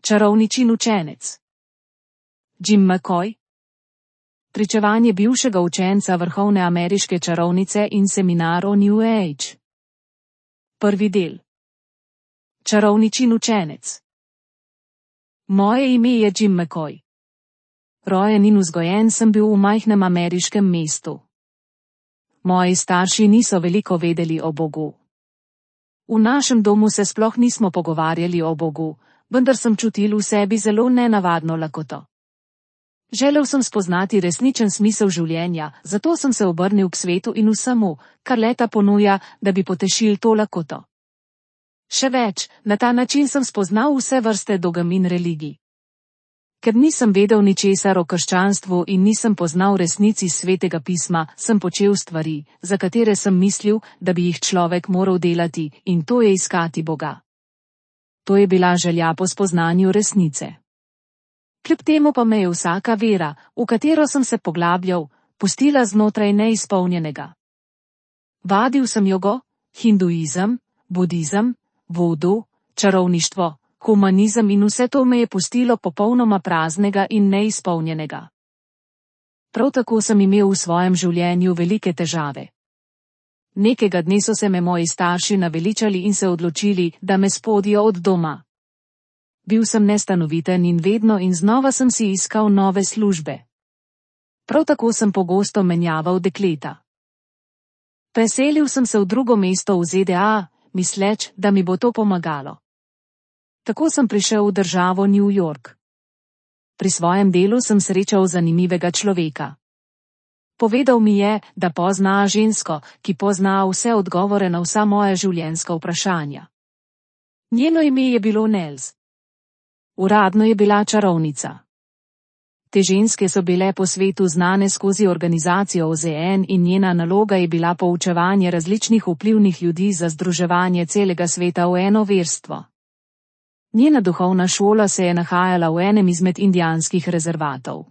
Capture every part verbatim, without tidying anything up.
Čarovničin učenec. Jim McCoy. Pričevanje bivšega učenca vrhovne ameriške čarovnice in seminar o New Age. Prvi del. Čarovničin učenec. Moje ime je Jim McCoy. Rojen in vzgojen sem bil v majhnem ameriškem mestu. Moji starši niso veliko vedeli o Bogu. V našem domu se sploh nismo pogovarjali o Bogu, vendar sem čutil v sebi zelo nenavadno lakoto. Želel sem spoznati resničen smisel življenja, zato sem se obrnil k svetu in vsemu, kar leta ponuja, da bi potešil to lakoto. Še več, na ta način sem spoznal vse vrste dogem in religij. Ker nisem vedel ničesar o krščanstvu in nisem poznal resnici svetega pisma, sem počel stvari, za katere sem mislil, da bi jih človek moral delati, in to je iskati Boga. To je bila želja po spoznanju resnice. Kljub temu pa me je vsaka vera, v katero sem se poglabljal, pustila znotraj neizpolnjenega. Vadil sem jogo, hinduizem, budizem, vodu, čarovništvo, humanizem in vse to me je pustilo popolnoma praznega in neizpolnjenega. Prav tako sem imel v svojem življenju velike težave. Nekega dne so se me moji starši naveličali in se odločili, da me spodijo od doma. Bil sem nestanoviten in vedno in znova sem si iskal nove službe. Prav tako sem pogosto menjaval dekleta. Preselil sem se v drugo mesto v Z D A, misleč, da mi bo to pomagalo. Tako sem prišel v državo New York. Pri svojem delu sem srečal zanimivega človeka. Povedal mi je, da pozna žensko, ki pozna vse odgovore na vsa moja življenjska vprašanja. Njeno ime je bilo Nels. Uradno je bila čarovnica. Te ženske so bile po svetu znane skozi organizacijo O Z N in njena naloga je bila poučevanje različnih vplivnih ljudi za združevanje celega sveta v eno verstvo. Njena duhovna šola se je nahajala v enem izmed indijanskih rezervatov.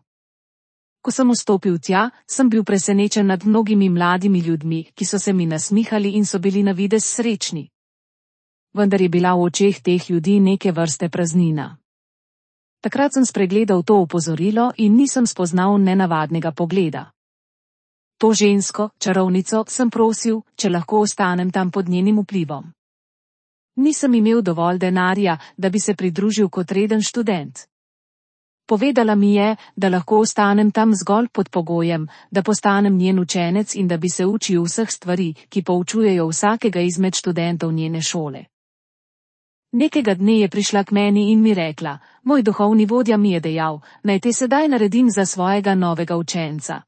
Ko sem vstopil tja, sem bil presenečen nad mnogimi mladimi ljudmi, ki so se mi nasmihali in so bili na videz srečni. Vendar je bila v očeh teh ljudi neke vrste praznina. Takrat sem spregledal to opozorilo in nisem spoznal nenavadnega pogleda. To žensko, čarovnico, sem prosil, če lahko ostanem tam pod njenim vplivom. Nisem imel dovolj denarja, da bi se pridružil kot reden študent. Povedala mi je, da lahko ostanem tam zgolj pod pogojem, da postanem njen učenec in da bi se učil vseh stvari, ki poučujejo vsakega izmed študentov njene šole. Nekega dne je prišla k meni in mi rekla, moj duhovni vodja mi je dejal, naj te sedaj naredim za svojega novega učenca.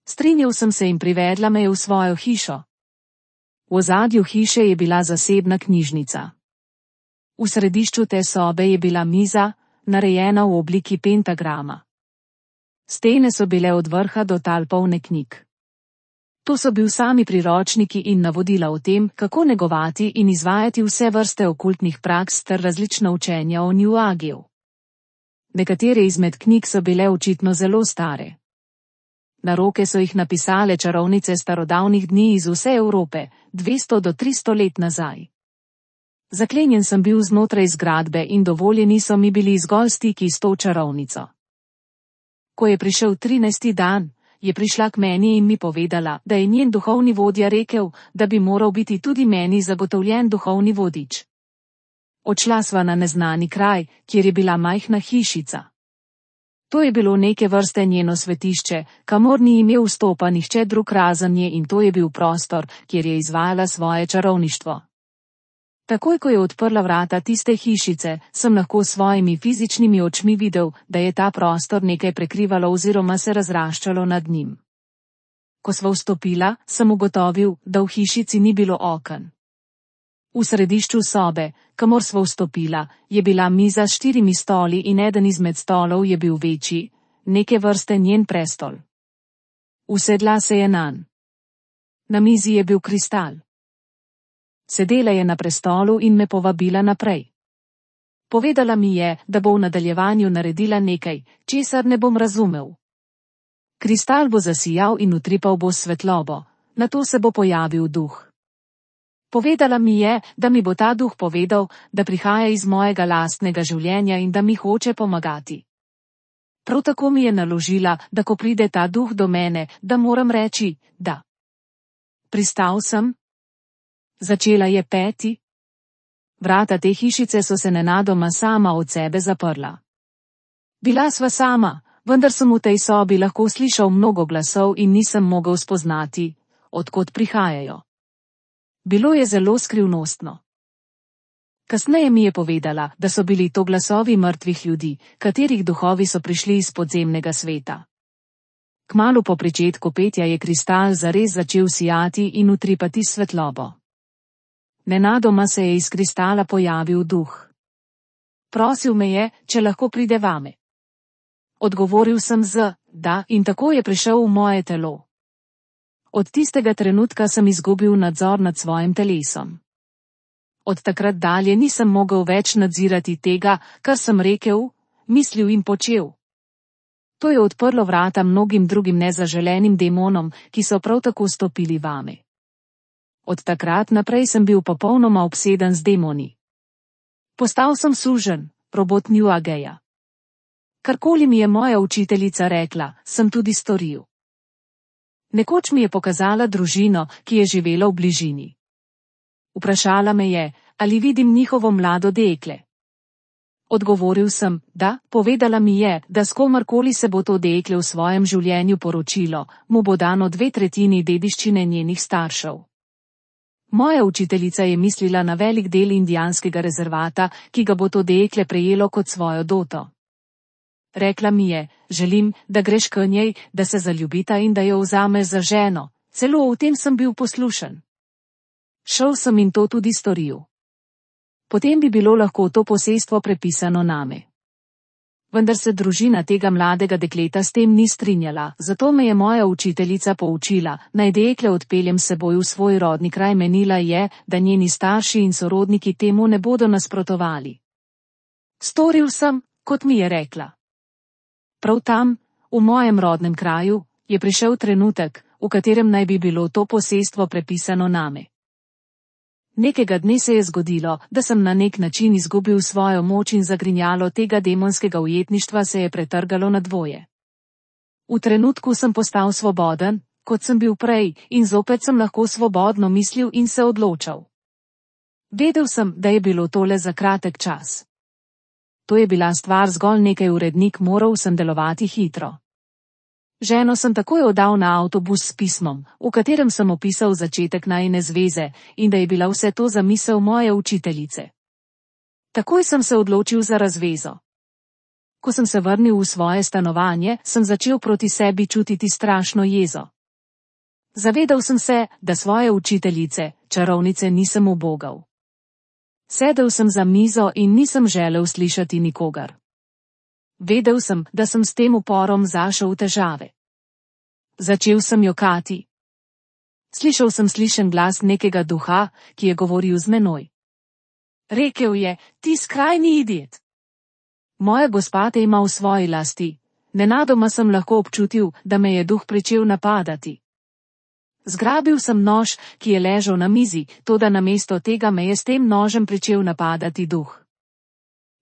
Strinjal sem se in privedla me je v svojo hišo. V ozadju hiše je bila zasebna knjižnica. V središču te sobe je bila miza, narejena v obliki pentagrama. Stene so bile od vrha do tal polne knjig. To so bil sami priročniki in navodila o tem, kako negovati in izvajati vse vrste okultnih praks ter različna učenja o New Ageu. Nekatere izmed knjig so bile očitno zelo stare. Na roke so jih napisale čarovnice starodavnih dni iz vse Evrope, dvesto do tristo let nazaj. Zaklenjen sem bil znotraj zgradbe in dovoljeni so mi bili zgolj stiki s to čarovnico. Ko je prišel trinajsti dan, je prišla k meni in mi povedala, da je njen duhovni vodja rekel, da bi moral biti tudi meni zagotovljen duhovni vodič. Odšla sva na neznani kraj, kjer je bila majhna hišica. To je bilo neke vrste njeno svetišče, kamor ni imel vstopa nihče drug razen nje in to je bil prostor, kjer je izvajala svoje čarovništvo. Takoj, ko je odprla vrata tiste hišice, sem lahko s svojimi fizičnimi očmi videl, da je ta prostor nekaj prekrivalo oziroma se razraščalo nad njim. Ko sva vstopila, sem ugotovil, da v hišici ni bilo oken. V središču sobe, kamor sva vstopila, je bila miza s štirimi stoli in eden izmed stolov je bil večji, neke vrste njen prestol. Usedla se je nanj. Na mizi je bil kristal. Sedela je na prestolu in me povabila naprej. Povedala mi je, da bo v nadaljevanju naredila nekaj, česar ne bom razumel. Kristal bo zasijal in utripal bo svetlobo, nato se bo pojavil duh. Povedala mi je, da mi bo ta duh povedal, da prihaja iz mojega lastnega življenja in da mi hoče pomagati. Prav tako mi je naložila, da ko pride ta duh do mene, da moram reči, da. Pristal sem. Začela je peti. Vrata te hišice so se nenadoma sama od sebe zaprla. Bila sva sama, vendar sem v tej sobi lahko slišal mnogo glasov in nisem mogel spoznati, od kod prihajajo. Bilo je zelo skrivnostno. Kasneje mi je povedala, da so bili to glasovi mrtvih ljudi, katerih duhovi so prišli iz podzemnega sveta. Kmalu po pričetku petja je kristal zares začel sijati in utripati svetlobo. Nenadoma se je iz kristala pojavil duh. Prosil me je, če lahko pride vame. Odgovoril sem z da in tako je prišel v moje telo. Od tistega trenutka sem izgubil nadzor nad svojim telesom. Od takrat dalje nisem mogel več nadzirati tega, kar sem rekel, mislil in počel. To je odprlo vrata mnogim drugim nezaželenim demonom, ki so prav tako stopili vame. Od takrat naprej sem bil popolnoma obseden z demoni. Postal sem suženj, robot New Ageja. Karkoli mi je moja učiteljica rekla, sem tudi storil. Nekoč mi je pokazala družino, ki je živela v bližini. Vprašala me je, ali vidim njihovo mlado dekle. Odgovoril sem, da, povedala mi je, da s komarkoli se bo to dekle v svojem življenju poročilo, mu bo dano dve tretjini dediščine njenih staršev. Moja učiteljica je mislila na velik del indijanskega rezervata, ki ga bo to dekle prejelo kot svojo doto. Rekla mi je, želim, da greš k njej, da se zaljubita in da jo vzameš za ženo, celo v tem sem bil poslušen. Šel sem in to tudi storil. Potem bi bilo lahko to posestvo prepisano name. Vendar se družina tega mladega dekleta s tem ni strinjala, zato me je moja učiteljica poučila, naj dekle odpeljem seboj v svoj rodni kraj. Menila je, da njeni starši in sorodniki temu ne bodo nasprotovali. Storil sem, kot mi je rekla. Prav tam, v mojem rodnem kraju, je prišel trenutek, v katerem naj bi bilo to posestvo prepisano name. Nekega dne se je zgodilo, da sem na nek način izgubil svojo moč in zagrinjalo tega demonskega ujetništva se je pretrgalo na dvoje. V trenutku sem postal svoboden, kot sem bil prej, in zopet sem lahko svobodno mislil in se odločal. Vedel sem, da je bilo tole za kratek čas. To je bila stvar zgolj nekaj urednik, moral sem delovati hitro. Ženo sem takoj oddal na avtobus s pismom, v katerem sem opisal začetek najine zveze in da je bila vse to zamisel moje učiteljice. Takoj sem se odločil za razvezo. Ko sem se vrnil v svoje stanovanje, sem začel proti sebi čutiti strašno jezo. Zavedal sem se, da svoje učiteljice, čarovnice, nisem ubogal. Sedel sem za mizo in nisem želel slišati nikogar. Vedel sem, da sem s tem uporom zašel v težave. Začel sem jokati. Slišal sem slišen glas nekega duha, ki je govoril z menoj. Rekel je, ti skrajni idiot. Moja gospa te ima v svoji lasti. Nenadoma sem lahko občutil, da me je duh pričel napadati. Zgrabil sem nož, ki je ležal na mizi, toda namesto tega me je s tem nožem pričel napadati duh.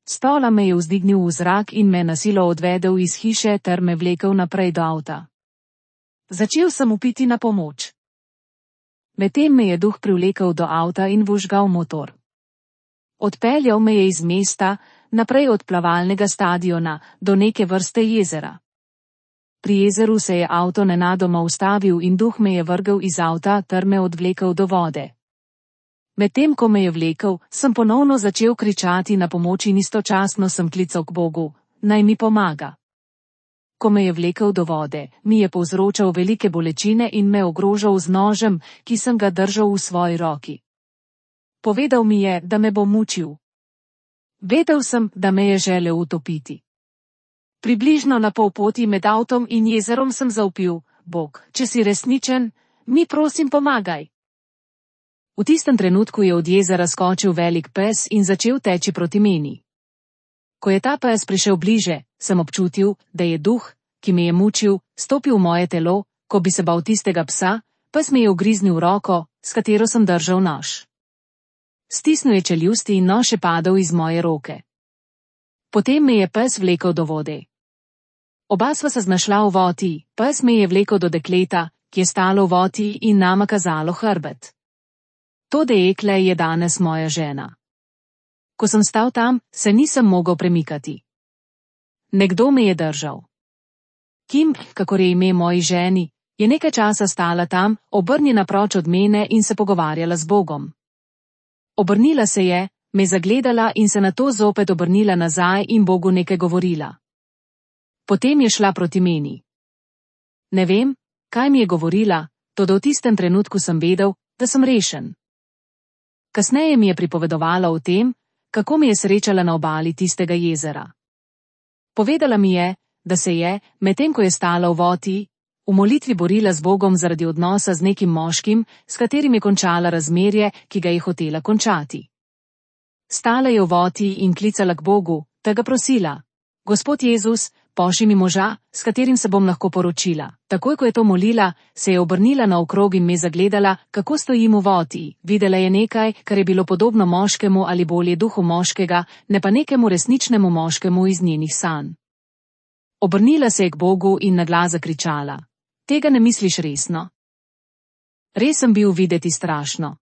Stola me je vzdignil v zrak in me na silo odvedel iz hiše ter me vlekel naprej do avta. Začel sem vpiti na pomoč. Medtem me je duh privlekel do avta in vžgal motor. Odpeljal me je iz mesta, naprej od plavalnega stadiona, do neke vrste jezera. Pri jezeru se je avto nenadoma ustavil in duh me je vrgel iz avta ter me odvlekel do vode. Medtem ko me je vlekel, sem ponovno začel kričati na pomoč in istočasno sem klical k Bogu, naj mi pomaga. Ko me je vlekel do vode, mi je povzročal velike bolečine in me ogrožal z nožem, ki sem ga držal v svoji roki. Povedal mi je, da me bo mučil. Vedel sem, da me je želel utopiti. Približno na pol poti med avtom in jezerom sem zavpil, Bog, če si resničen, mi prosim pomagaj. V tistem trenutku je od jezera skočil velik pes in začel teči proti meni. Ko je ta pes prišel bliže, sem občutil, da je duh, ki me je mučil, stopil v moje telo. Ko bi se bal tistega psa, pes mi je ugriznil roko, s katero sem držal nož. Stisnil je čeljusti in nož je padel iz moje roke. Potem me je pes vlekel do vode. Oba sva se znašla v voti, pes me je vlekel do dekleta, ki je stalo v voti in nama kazalo hrbet. To dekle je danes moja žena. Ko sem stal tam, se nisem mogel premikati. Nekdo me je držal. Kim, kakor je ime moji ženi, je nekaj časa stala tam, obrnjena proč od mene in se pogovarjala z Bogom. Obrnila se je, me zagledala in se nato zopet obrnila nazaj in Bogu nekaj govorila. Potem je šla proti meni. Ne vem, kaj mi je govorila, toda v tistem trenutku sem vedel, da sem rešen. Kasneje mi je pripovedovala o tem, kako mi je srečala na obali tistega jezera. Povedala mi je, da se je, medtem ko je stala v voti, v molitvi borila z Bogom zaradi odnosa z nekim moškim, s katerim je končala razmerje, ki ga je hotela končati. Stala je v voti in klicala k Bogu, da ga prosila: Gospod Jezus, pošlji mi moža, s katerim se bom lahko poročila. Takoj, ko je to molila, se je obrnila naokrog in me zagledala, kako stojim v voti. Videla je nekaj, kar je bilo podobno moškemu ali bolje duhu moškega, ne pa nekemu resničnemu moškemu iz njenih sanj. Obrnila se je k Bogu in naglas zakričala: Tega ne misliš resno? Res sem bil videti strašno.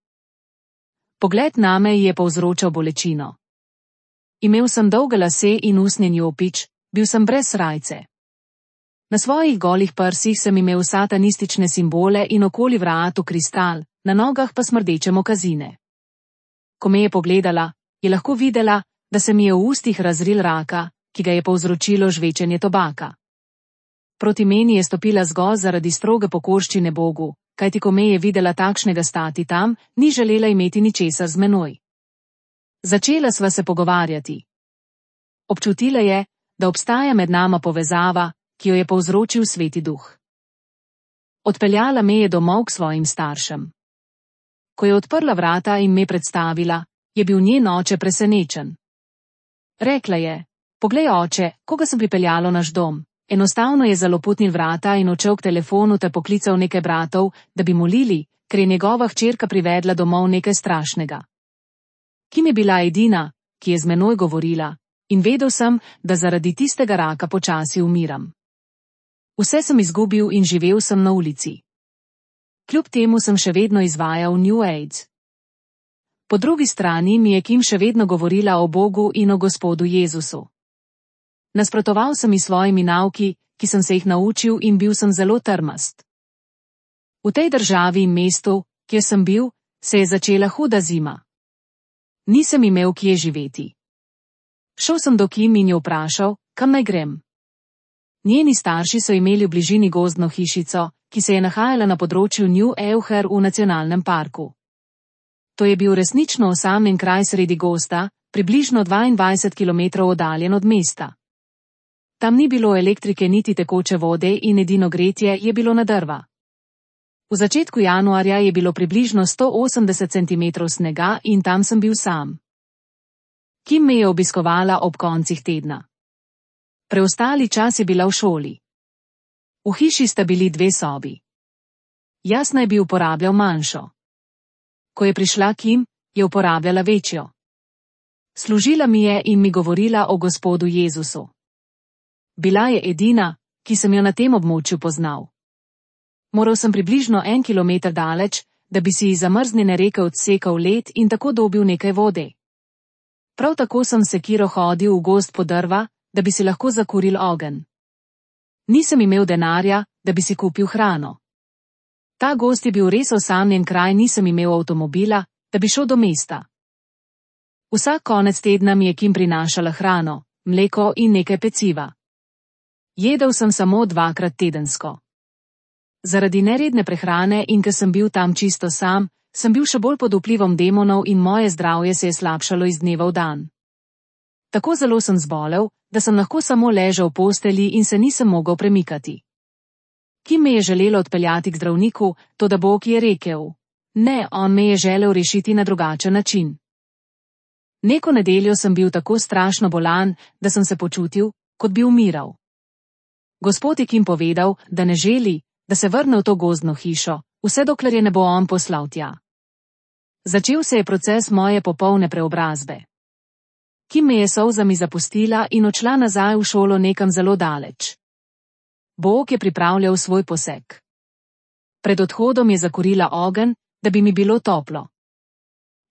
Pogled name je povzročal bolečino. Imel sem dolge lase in usnjen jopič, bil sem brez srajce. Na svojih golih prsih sem imel satanistične simbole in okoli vratu kristal, na nogah pa smrdeče mokazine. Ko me je pogledala, je lahko videla, da se mi je v ustih razril raka, ki ga je povzročilo žvečenje tobaka. Proti meni je stopila zgolj zaradi stroge pokorščine Bogu, kajti ko me je videla takšnega stati tam, ni želela imeti ničesar z menoj. Začela sva se pogovarjati. Občutila je, da obstaja med nama povezava, ki jo je povzročil Sveti Duh. Odpeljala me je domov k svojim staršem. Ko je odprla vrata in me predstavila, je bil njen oče presenečen. Rekla je: Poglej, oče, koga sem pripeljala v naš dom. Enostavno je zaloputnil vrata in odšel k telefonu ter poklical nekaj bratov, da bi molili, ker je njegova hčerka privedla domov nekaj strašnega. Kim je bila edina, ki je z menoj govorila, in vedel sem, da zaradi tistega raka počasi umiram. Vse sem izgubil in živel sem na ulici. Kljub temu sem še vedno izvajal New Age. Po drugi strani mi je Kim še vedno govorila o Bogu in o Gospodu Jezusu. Nasprotoval sem ji svojimi nauki, ki sem se jih naučil, in bil sem zelo trmast. V tej državi in mestu, kjer sem bil, se je začela huda zima. Nisem imel kje živeti. Šel sem do Kim in jo vprašal, kam naj grem. Njeni starši so imeli v bližini gozdno hišico, ki se je nahajala na področju New Euher v nacionalnem parku. To je bil resnično osamljen kraj sredi gozda, približno dvaindvajset kilometrov oddaljen od mesta. Tam ni bilo elektrike niti tekoče vode in edino gretje je bilo na drva. V začetku januarja je bilo približno sto osemdeset centimetrov snega in tam sem bil sam. Kim me je obiskovala ob koncih tedna. Preostali čas je bila v šoli. V hiši sta bili dve sobi. Jaz naj bi uporabljal manjšo. Ko je prišla Kim, je uporabljala večjo. Služila mi je in mi govorila o Gospodu Jezusu. Bila je edina, ki sem jo na tem območju poznal. Moral sem približno en kilometer daleč, da bi si iz zamrznjene reke odsekal led in tako dobil nekaj vode. Prav tako sem sekiro hodil v gozd po drva, da bi si lahko zakuril ogenj. Nisem imel denarja, da bi si kupil hrano. Ta gozd je bil res osamljen kraj, nisem imel avtomobila, da bi šel do mesta. Vsak konec tedna mi je Kim prinašala hrano, mleko in nekaj peciva. Jedel sem samo dvakrat tedensko. Zaradi neredne prehrane in ker sem bil tam čisto sam, sem bil še bolj pod vplivom demonov in moje zdravje se je slabšalo iz dneva v dan. Tako zelo sem zbolel, da sem lahko samo ležal v postelji in se nisem mogel premikati. Kim me je želela odpeljati k zdravniku, toda Bog je rekel: Ne, on me je želel rešiti na drugačen način. Neko nedeljo sem bil tako strašno bolan, da sem se počutil, kot bi umiral. Gospod je Kim povedal, da ne želi, da se vrne v to gozdno hišo, vse dokler je ne bo on poslal tja. Začel se je proces moje popolne preobrazbe. Kim me je solzami zapustila in odšla nazaj v šolo nekam zelo daleč. Bog je pripravljal svoj poseg. Pred odhodom je zakurila ogenj, da bi mi bilo toplo.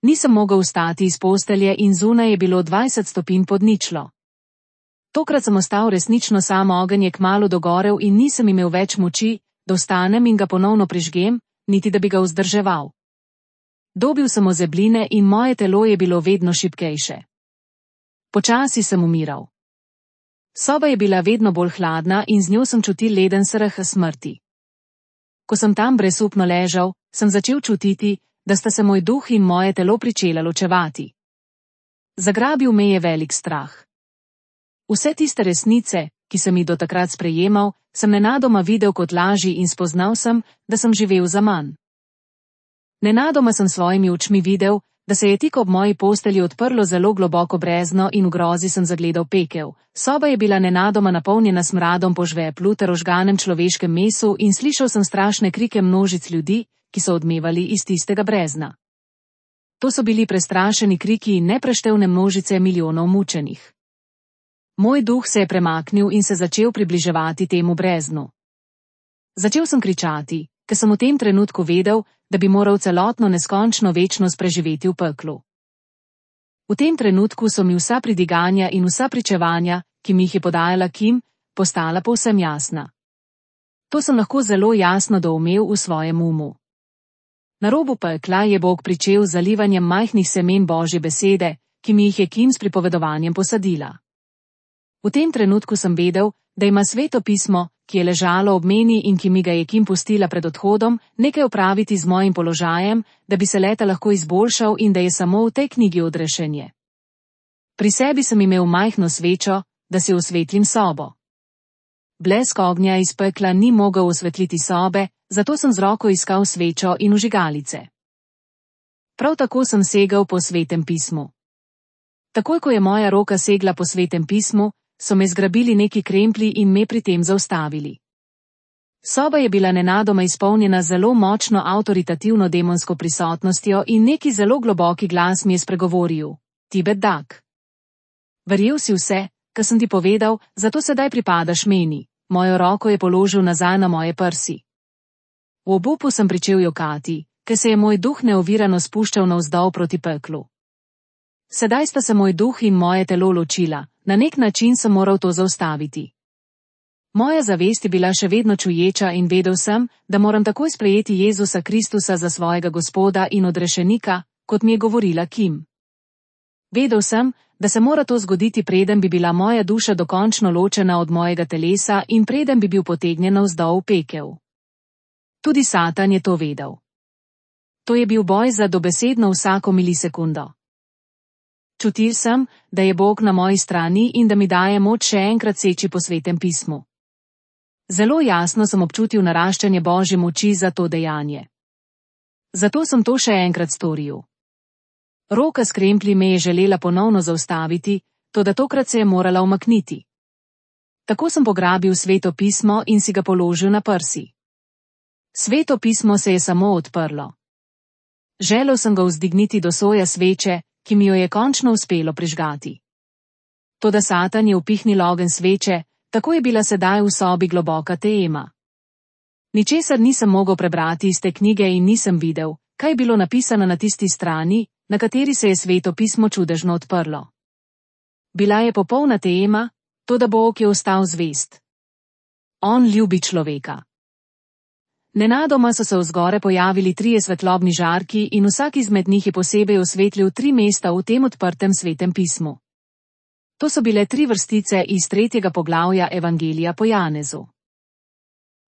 Nisem mogel vstati iz postelje in zunaj je bilo dvajset stopinj pod ničlo. Tokrat sem ostal resnično sam, ogenj je kmalu dogorel in nisem imel več moči, da vstanem in ga ponovno prižgem, niti da bi ga vzdrževal. Dobil sem ozebline in moje telo je bilo vedno šibkejše. Počasi sem umiral. Soba je bila vedno bolj hladna in z njo sem čutil leden strah smrti. Ko sem tam brezupno ležal, sem začel čutiti, da sta se moj duh in moje telo pričela ločevati. Zagrabil me je velik strah. Vse tiste resnice, ki sem jih do takrat sprejemal, sem nenadoma videl kot laži in spoznal sem, da sem živel zaman. Nenadoma sem svojimi očmi videl, da se je tik ob moji postelji odprlo zelo globoko brezno in v grozi sem zagledal pekel. Soba je bila nenadoma napolnjena smradom po žveplu ter ožganem človeškem mesu in slišal sem strašne krike množic ljudi, ki so odmevali iz tistega brezna. To so bili prestrašeni kriki in nepreštevne množice milijonov mučenih. Moj duh se je premaknil in se začel približevati temu breznu. Začel sem kričati, ker sem v tem trenutku vedel, da bi moral celotno neskončno večnost preživeti v peklu. V tem trenutku so mi vsa pridiganja in vsa pričevanja, ki mi jih je podajala Kim, postala povsem jasna. To sem lahko zelo jasno doumel v svojem umu. Na robu pekla je Bog pričel z zalivanjem majhnih semen Božje besede, ki mi jih je Kim s pripovedovanjem posadila. V tem trenutku sem vedel, da ima Sveto pismo, ki je ležalo ob meni in ki mi ga je Kim pustila pred odhodom, nekaj opraviti z mojim položajem, da bi se leta lahko izboljšal in da je samo v tej knjigi odrešenje. Pri sebi sem imel majhno svečo, da si osvetlim sobo. Blesk ognja iz pekla ni mogel osvetliti sobe, zato sem z roko iskal svečo in vžigalice. Prav tako sem segel po Svetem pismu. Takoj, ko je moja roka segla po Svetem pismu, so me zgrabili neki kremplji in me pri tem zaustavili. Soba je bila nenadoma izpolnjena zelo močno avtoritativno demonsko prisotnostjo in neki zelo globoki glas mi je spregovoril: Ti bedak. Verjel si vse, kar sem ti povedal, zato sedaj pripadaš meni. Mojo roko je položil nazaj na moje prsi. V obupu sem pričel jokati, ker se je moj duh neovirano spuščal navzdol proti peklu. Sedaj sta se moj duh in moje telo ločila, na nek način sem moral to zaustaviti. Moja zavest je bila še vedno čuječa in vedel sem, da moram takoj sprejeti Jezusa Kristusa za svojega Gospoda in odrešenika, kot mi je govorila Kim. Vedel sem, da se mora to zgoditi, preden bi bila moja duša dokončno ločena od mojega telesa in preden bi bil potegnjen navzdol v pekel. Tudi Satan je to vedel. To je bil boj za dobesedno vsako milisekundo. Čutil sem, da je Bog na moji strani in da mi daje moč še enkrat seči po Svetem pismu. Zelo jasno sem občutil naraščanje Božje moči za to dejanje. Zato sem to še enkrat storil. Roka s kremplji me je želela ponovno zaustaviti, toda tokrat se je morala umakniti. Tako sem pograbil Sveto pismo in si ga položil na prsi. Sveto pismo se je samo odprlo. Želel sem ga vzdigniti do soja sveče, ki mi jo je končno uspelo prižgati. Toda Satan je upihnil ogenj sveče, tako je bila sedaj v sobi globoka tema. Ničesar nisem mogel prebrati iz te knjige in nisem videl, kaj je bilo napisano na tisti strani, na kateri se je Sveto pismo čudežno odprlo. Bila je popolna tema, toda Bog je ostal zvest. On ljubi človeka. Nenadoma so se vzgore pojavili trije svetlobni žarki in vsak izmed njih je posebej osvetlil tri mesta v tem odprtem Svetem pismu. To so bile tri vrstice iz tretjega poglavja Evangelija po Janezu.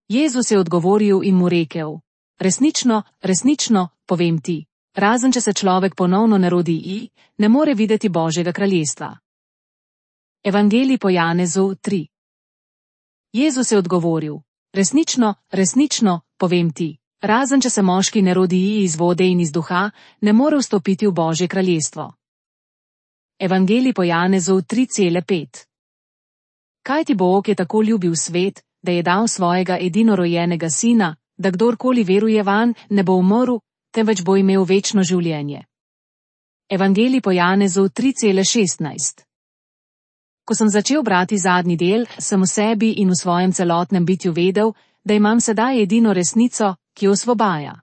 Jezus je odgovoril in mu rekel: Resnično, resnično, povem ti, razen če se človek ponovno ne rodi i, ne more videti Božjega kraljestva. Evangelij po Janezu tri. Jezus je odgovoril: Resnično, resnično, povem ti, razen če se moški ne rodi iz vode in iz duha, ne more vstopiti v Božje kraljestvo. Evangelij po Janezu tri pet. Kajti Bog je tako ljubil svet, da je dal svojega edinorojenega sina, da kdorkoli veruje vanj, ne bo umrl, temveč bo imel večno življenje. Evangelij po Janezu tri šestnajst. Ko sem začel brati zadnji del, sem v sebi in v svojem celotnem bitju vedel, da imam sedaj edino resnico, ki osvobaja.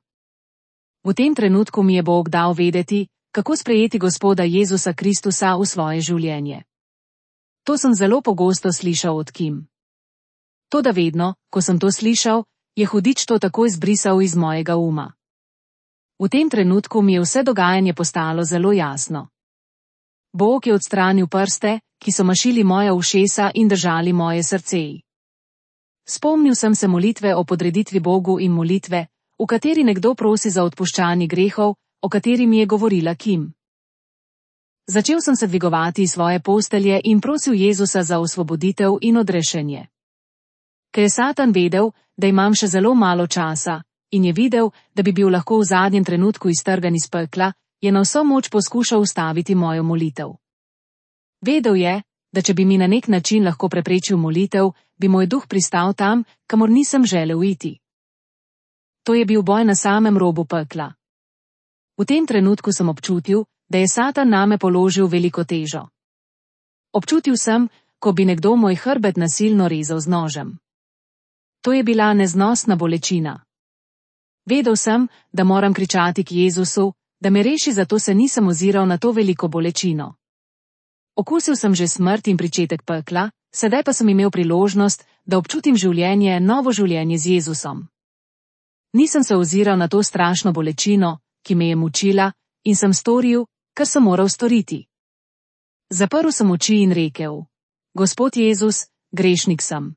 V tem trenutku mi je Bog dal vedeti, kako sprejeti Gospoda Jezusa Kristusa v svoje življenje. To sem zelo pogosto slišal od Kim. Toda vedno, ko sem to slišal, je hudič to takoj zbrisal iz mojega uma. V tem trenutku mi je vse dogajanje postalo zelo jasno. Bog je odstranil prste, ki so mašili moja ušesa in držali moje srce. Spomnil sem se molitve o podreditvi Bogu in molitve, v kateri nekdo prosi za odpuščanje grehov, o kateri mi je govorila Kim. Začel sem se dvigovati iz svoje postelje in prosil Jezusa za osvoboditev in odrešenje. Ker je Satan vedel, da imam še zelo malo časa, in je videl, da bi bil lahko v zadnjem trenutku iztrgan iz pekla, je na vso moč poskušal ustaviti mojo molitev. Vedel je, da če bi mi na nek način lahko preprečil molitev, bi moj duh pristal tam, kamor nisem želel iti. To je bil boj na samem robu pekla. V tem trenutku sem občutil, da je Satan name položil veliko težo. Občutil sem, ko bi nekdo moj hrbet nasilno rezal z nožem. To je bila neznosna bolečina. Vedel sem, da moram kričati k Jezusu, da me reši, zato se nisem oziral na to veliko bolečino. Okusil sem že smrt in pričetek pekla, sedaj pa sem imel priložnost, da občutim življenje, novo življenje z Jezusom. Nisem se oziral na to strašno bolečino, ki me je mučila, in sem storil, kar sem moral storiti. Zaprl sem oči in rekel: Gospod Jezus, grešnik sem.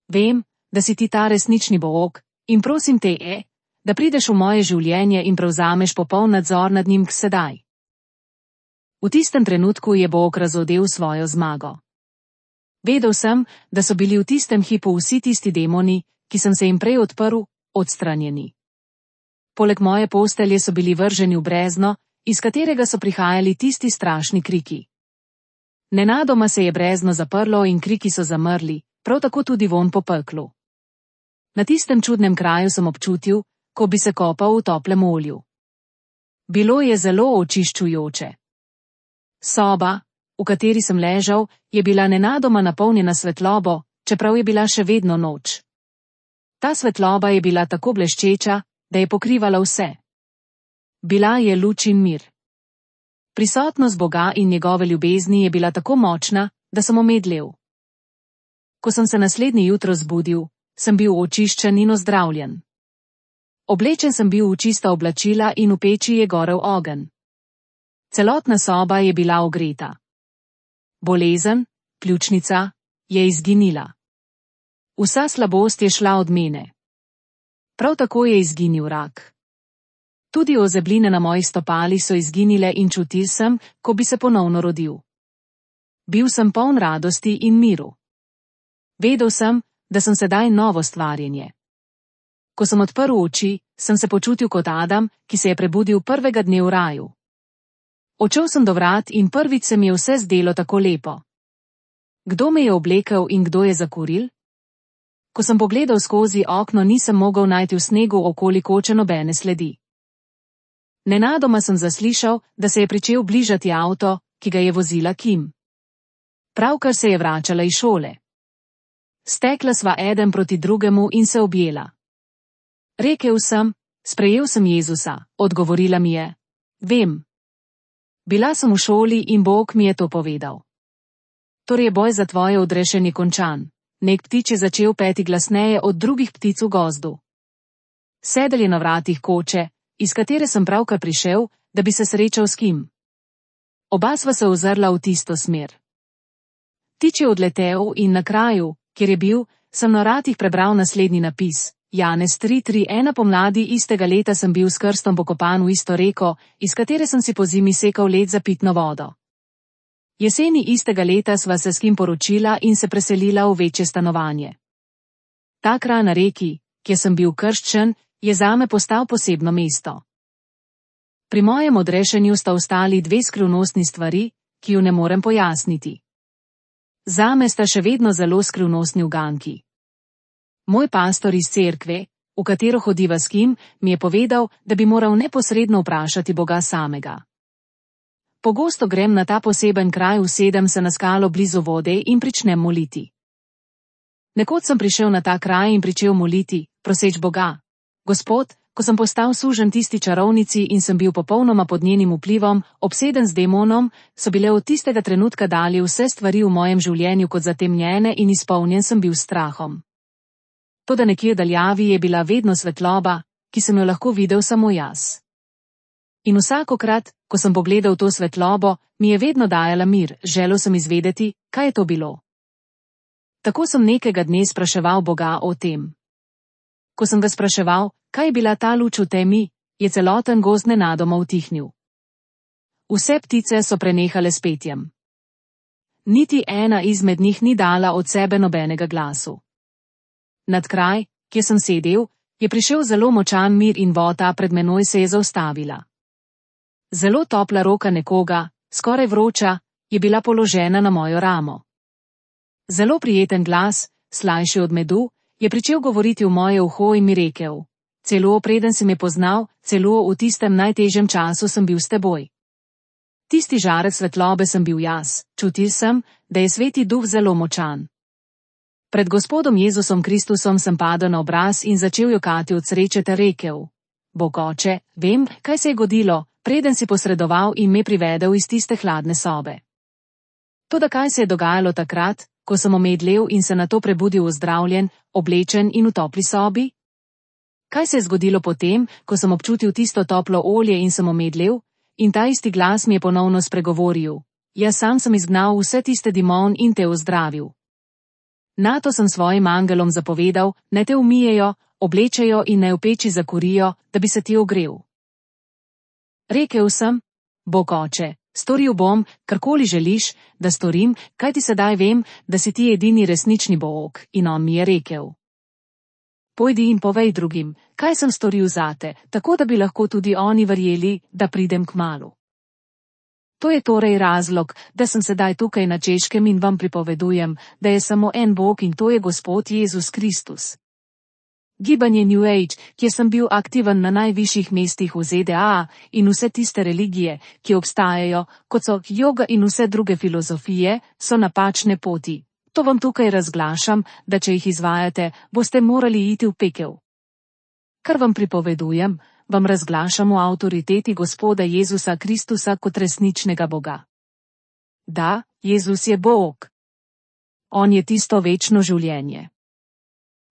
Vem, da si ti ta resnični Bog, in prosim te, e, da prideš v moje življenje in prevzameš popoln nadzor nad njim sedaj. V tistem trenutku je Bog razodel svojo zmago. Vedel sem, da so bili v tistem hipu vsi tisti demoni, ki sem se jim prej odprl, odstranjeni. Poleg moje postelje so bili vrženi v brezno, iz katerega so prihajali tisti strašni kriki. Nenadoma se je brezno zaprlo in kriki so zamrli, prav tako tudi vonj po peklu. Na tistem čudnem kraju sem občutil, ko bi se kopal v toplem olju. Bilo je zelo očiščujoče. Soba, v kateri sem ležal, je bila nenadoma napolnjena svetlobo, čeprav je bila še vedno noč. Ta svetloba je bila tako bleščeča, da je pokrivala vse. Bila je luč in mir. Prisotnost Boga in njegove ljubezni je bila tako močna, da sem omedlel. Ko sem se naslednje jutro zbudil, sem bil očiščen in ozdravljen. Oblečen sem bil v čista oblačila in v peči je gorel ogenj. Celotna soba je bila ogreta. Bolezen, pljučnica, je izginila. Vsa slabost je šla od mene. Prav tako je izginil rak. Tudi ozebline na mojih stopalih so izginile in čutil sem, ko bi se ponovno rodil. Bil sem poln radosti in miru. Vedel sem, da sem sedaj novo stvarjenje. Ko sem odprl oči, sem se počutil kot Adam, ki se je prebudil prvega dne v raju. Odšel sem do vrat in prvič se mi je vse zdelo tako lepo. Kdo me je oblekel in kdo je zakuril? Ko sem pogledal skozi okno, nisem mogel najti v snegu okoli koče nobene sledi. Nenadoma sem zaslišal, da se je pričel bližati avto, ki ga je vozila Kim. Pravkar se je vračala iz šole. Stekla sva eden proti drugemu in se objela. Rekel sem: sprejel sem Jezusa, odgovorila mi je: vem. Bila sem v šoli in Bog mi je to povedal. Torej je boj za tvoje odrešenje končan. Nek ptič je začel peti glasneje od drugih ptic v gozdu. Sedel je na vratih koče, iz katere sem pravkar prišel, da bi se srečal s Kim. Oba sva se ozrla v tisto smer. Ptič je odletel in na kraju, kjer je bil, sem na vratih prebral naslednji napis: Janez tri tri ena. Pomladi istega leta sem bil s krstom pokopan v isto reko, iz katere sem si pozimi sekal led za pitno vodo. Jeseni istega leta sva se s Kim poročila in se preselila v večje stanovanje. Ta kraj na reki, kjer sem bil krščen, je zame postal posebno mesto. Pri mojem odrešenju sta ostali dve skrivnostni stvari, ki ju ne morem pojasniti. Zame sta še vedno zelo skrivnostni uganki. Moj pastor iz cerkve, v katero hodiva s kim, mi je povedal, da bi moral neposredno vprašati Boga samega. Pogosto grem na ta poseben kraj, usedem se na skalo blizu vode in pričnem moliti. Nekoč sem prišel na ta kraj in pričel moliti, proseč Boga. Gospod, ko sem postal sužen tisti čarovnici in sem bil popolnoma pod njenim vplivom, obseden z demonom, so bile od tistega trenutka dalje vse stvari v mojem življenju kot zatemnjene in izpolnjen sem bil s strahom. Toda nekje v daljavi je bila vedno svetloba, ki sem jo lahko videl samo jaz. In vsakokrat, ko sem pogledal to svetlobo, mi je vedno dajala mir, želel sem izvedeti, kaj je to bilo. Tako sem nekega dne spraševal Boga o tem. Ko sem ga spraševal, kaj je bila ta luč v temi, je celoten gozd nenadoma utihnil. Vse ptice so prenehale s petjem. Niti ena izmed njih ni dala od sebe nobenega glasu. Nad kraj, kjer sem sedel, je prišel zelo močan mir in voda pred menoj se je zaustavila. Zelo topla roka nekoga, skoraj vroča, je bila položena na mojo ramo. Zelo prijeten glas, slajši od medu, je pričel govoriti v moje uho in mi rekel: celo preden si me poznal, celo v tistem najtežjem času sem bil s teboj. Tisti žarek svetlobe sem bil jaz, čutil sem, da je Sveti Duh zelo močan. Pred Gospodom Jezusom Kristusom sem padel na obraz in začel jokati od sreče ter rekel: Bog oče, vem, kaj se je godilo, preden si posredoval in me privedel iz tiste hladne sobe. Toda kaj se je dogajalo takrat, ko sem omedlel in se nato prebudil ozdravljen, oblečen in v topli sobi? Kaj se je zgodilo potem, ko sem občutil tisto toplo olje in sem omedlel, in ta isti glas mi je ponovno spregovoril: jaz sam sem izgnal vse tiste dimon in te ozdravil. Nato sem svojim angelom zapovedal, naj te umijejo, oblečejo in naj v peči zakurijo, da bi se ti ogrel. Rekel sem: Bog oče, storil bom, karkoli želiš, da storim, kajti sedaj vem, da si ti edini resnični Bog, in on mi je rekel: pojdi in povej drugim, kaj sem storil zate, tako da bi lahko tudi oni verjeli, da pridem kmalu. To je torej razlog, da sem sedaj tukaj na Češkem in vam pripovedujem, da je samo en Bog in to je Gospod Jezus Kristus. Gibanje New Age, kjer sem bil aktiven na najvišjih mestih v Z D A, in vse tiste religije, ki obstajajo, kot so joga in vse druge filozofije, so napačne poti. To vam tukaj razglašam, da če jih izvajate, boste morali iti v pekel. Kar vam pripovedujem, vam razglašam o avtoriteti Gospoda Jezusa Kristusa kot resničnega Boga. Da, Jezus je Bog. On je tisto večno življenje.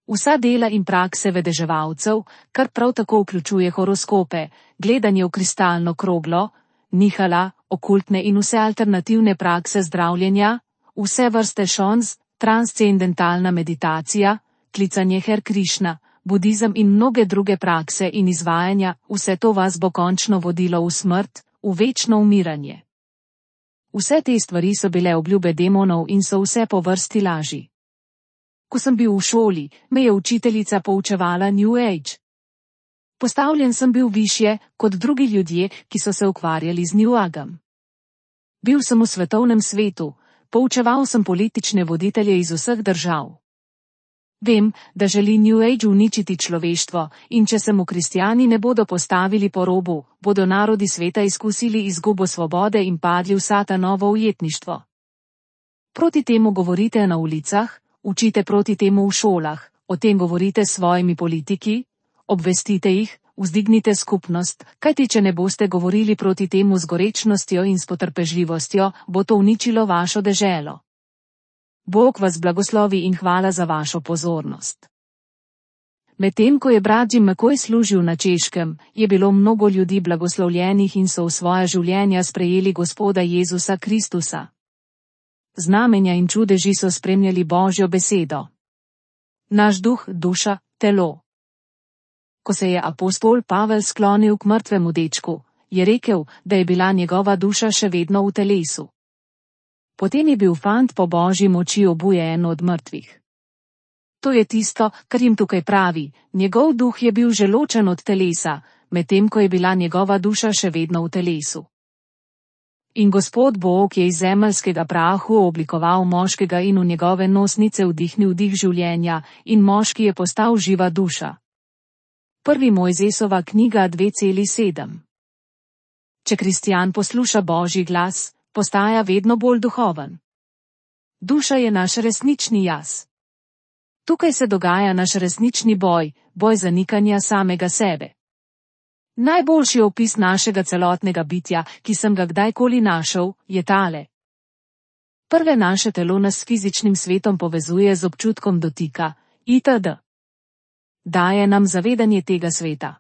Vsa dela in prakse vedeževalcev, kar prav tako vključuje horoskope, gledanje v kristalno kroglo, nihala, okultne in vse alternativne prakse zdravljenja, vse vrste šons, transcendentalna meditacija, klicanje Her Krišna, budizem in mnoge druge prakse in izvajanja, vse to vas bo končno vodilo v smrt, v večno umiranje. Vse te stvari so bile obljube demonov in so vse po vrsti laži. Ko sem bil v šoli, me je učiteljica poučevala New Age. Postavljen sem bil višje kot drugi ljudje, ki so se ukvarjali z New Agem. Bil sem v svetovnem svetu, poučeval sem politične voditelje iz vseh držav. Vem, da želi New Age uničiti človeštvo, in če se mu kristjani ne bodo postavili po robu, bodo narodi sveta izkusili izgubo svobode in padli v satanovo ujetništvo. Proti temu govorite na ulicah, učite proti temu v šolah, o tem govorite s svojimi politiki, obvestite jih, vzdignite skupnost, kajti če ne boste govorili proti temu z gorečnostjo in s potrpežljivostjo, bo to uničilo vašo deželo. Bog vas blagoslovi in hvala za vašo pozornost. Medtem ko je brat Jim McCoy služil na Češkem, je bilo mnogo ljudi blagoslovljenih in so v svoja življenja sprejeli Gospoda Jezusa Kristusa. Znamenja in čudeži so spremljali Božjo besedo. Naš duh, duša, telo. Ko se je apostol Pavel sklonil k mrtvemu dečku, je rekel, da je bila njegova duša še vedno v telesu. Potem je bil fant po Božji moči obujen od mrtvih. To je tisto, kar jim tukaj pravi, njegov duh je bil že ločen od telesa, medtem ko je bila njegova duša še vedno v telesu. In Gospod Bog je iz zemeljskega prahu oblikoval moškega in v njegove nosnice vdihnil dih življenja, in moški je postal živa duša. Prvi Mojzesova knjiga dve sedem. Če kristjan posluša Božji glas, postaja vedno bolj duhoven. Duša je naš resnični jaz. Tukaj se dogaja naš resnični boj, boj zanikanja samega sebe. Najboljši opis našega celotnega bitja, ki sem ga kdajkoli našel, je tale. Prve naše telo nas s fizičnim svetom povezuje z občutkom dotika, itd. Daje nam zavedanje tega sveta.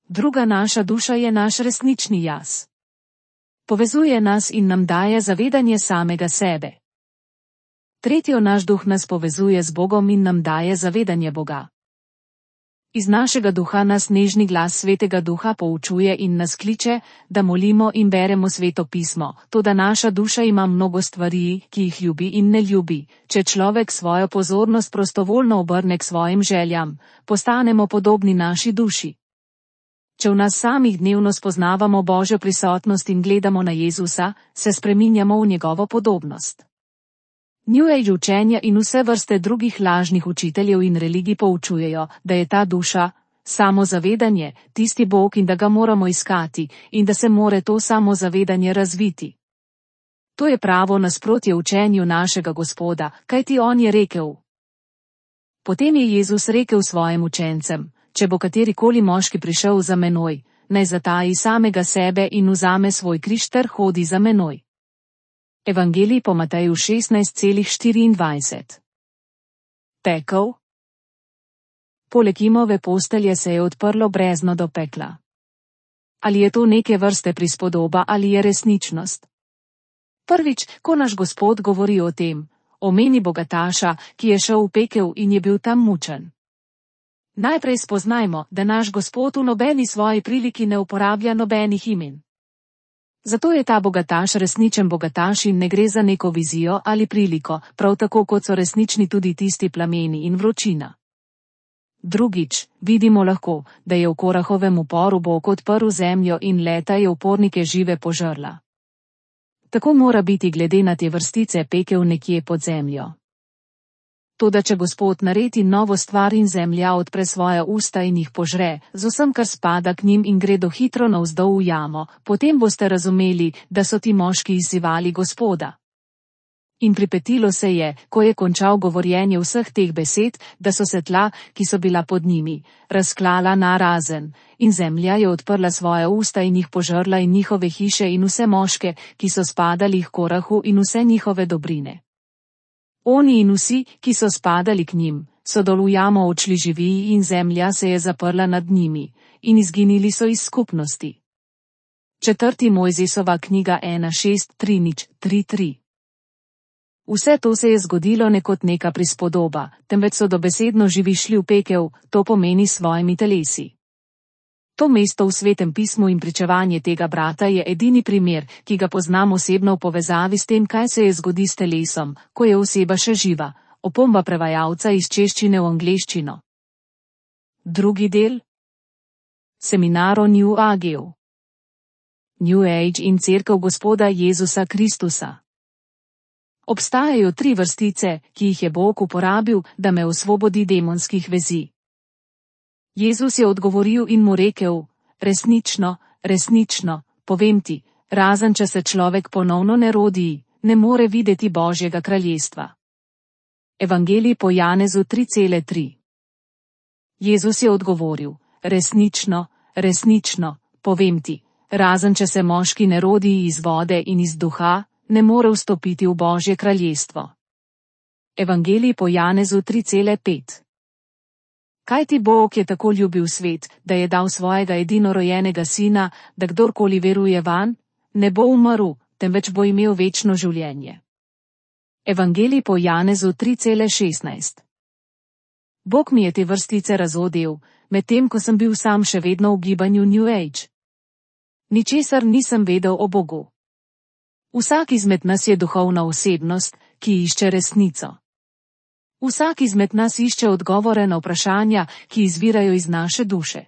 Druga naša duša je naš resnični jaz. Povezuje nas in nam daje zavedanje samega sebe. Tretjo naš duh nas povezuje z Bogom in nam daje zavedanje Boga. Iz našega duha nas nežni glas Svetega Duha poučuje in nas kliče, da molimo in beremo Sveto pismo, toda naša duša ima mnogo stvari, ki jih ljubi in ne ljubi. Če človek svojo pozornost prostovoljno obrne k svojim željam, postanemo podobni naši duši. Če v nas samih dnevno spoznavamo Božjo prisotnost in gledamo na Jezusa, se spreminjamo v njegovo podobnost. New Age učenja in vse vrste drugih lažnih učiteljev in religij poučujejo, da je ta duša, samozavedanje, tisti Bog in da ga moramo iskati, in da se more to samozavedanje razviti. To je pravo nasprotje učenju našega Gospoda, kajti on je rekel. Potem je Jezus rekel svojim učencem, če bo katerikoli moški prišel za menoj, naj zataji samega sebe in vzame svoj križ ter hodi za menoj. Evangelij po Mateju šestnajst štiriindvajset. Pekel. Poleg Imove postelje se je odprlo brezno do pekla. Ali je to neke vrste prispodoba ali je resničnost? Prvič, ko naš Gospod govori o tem, omeni bogataša, ki je šel v pekel in je bil tam mučen. Najprej spoznajmo, da naš Gospod v nobeni svoji priliki ne uporablja nobenih imen. Zato je ta bogataš resničen bogataš in ne gre za neko vizijo ali priliko, prav tako kot so resnični tudi tisti plameni in vročina. Drugič, vidimo lahko, da je v Korahovem uporu Bog odprl zemljo in leta je upornike žive požrla. Tako mora biti glede na te vrstice pekel nekje pod zemljo. Toda če Gospod naredi novo stvar in zemlja odpre svoja usta in jih požre, z vsem, kar spada k njim in gredo hitro navzdol v jamo, potem boste razumeli, da so ti moški izzivali Gospoda. In pripetilo se je, ko je končal govorjenje vseh teh besed, da so se tla, ki so bila pod njimi, razklala na razen, in zemlja je odprla svoja usta in jih požrla in njihove hiše in vse moške, ki so spadali k Korahu in vse njihove dobrine. Oni in vsi, ki so spadali k njim, so dol v jamo odšli živi in zemlja se je zaprla nad njimi, in izginili so iz skupnosti. Četrti Mojzesova knjiga ena šest tri nič tri tri. Vse to se je zgodilo ne kot neka prispodoba, temveč so dobesedno živi šli v pekel, to pomeni s svojimi telesi. To mesto v Svetem pismu in pričevanje tega brata je edini primer, ki ga poznam osebno v povezavi s tem, kaj se je zgodi s telesom, ko je oseba še živa, opomba prevajalca iz češčine v angleščino. Drugi del. Seminar o New Ageu. New Age in cerkev Gospoda Jezusa Kristusa. Obstajajo tri vrstice, ki jih je Bog uporabil, da me osvobodi demonskih vezi. Jezus je odgovoril in mu rekel, resnično, resnično, povem ti, razen če se človek ponovno ne rodi, ne more videti Božjega kraljestva. Evangelij po Janezu tri tri. Jezus je odgovoril, resnično, resnično, povem ti, razen če se moški ne rodi iz vode in iz duha, ne more vstopiti v Božje kraljestvo. Evangelij po Janezu tri pet. Kajti Bog je tako ljubil svet, da je dal svojega edinorojenega sina, da kdorkoli veruje vanj, ne bo umrl, temveč bo imel večno življenje. Evangelij po Janezu tri šestnajst. Bog mi je te vrstice razodel, medtem ko sem bil sam še vedno v gibanju New Age. Ničesar nisem vedel o Bogu. Vsak izmed nas je duhovna osebnost, ki išče resnico. Vsak izmed nas išče odgovore na vprašanja, ki izvirajo iz naše duše.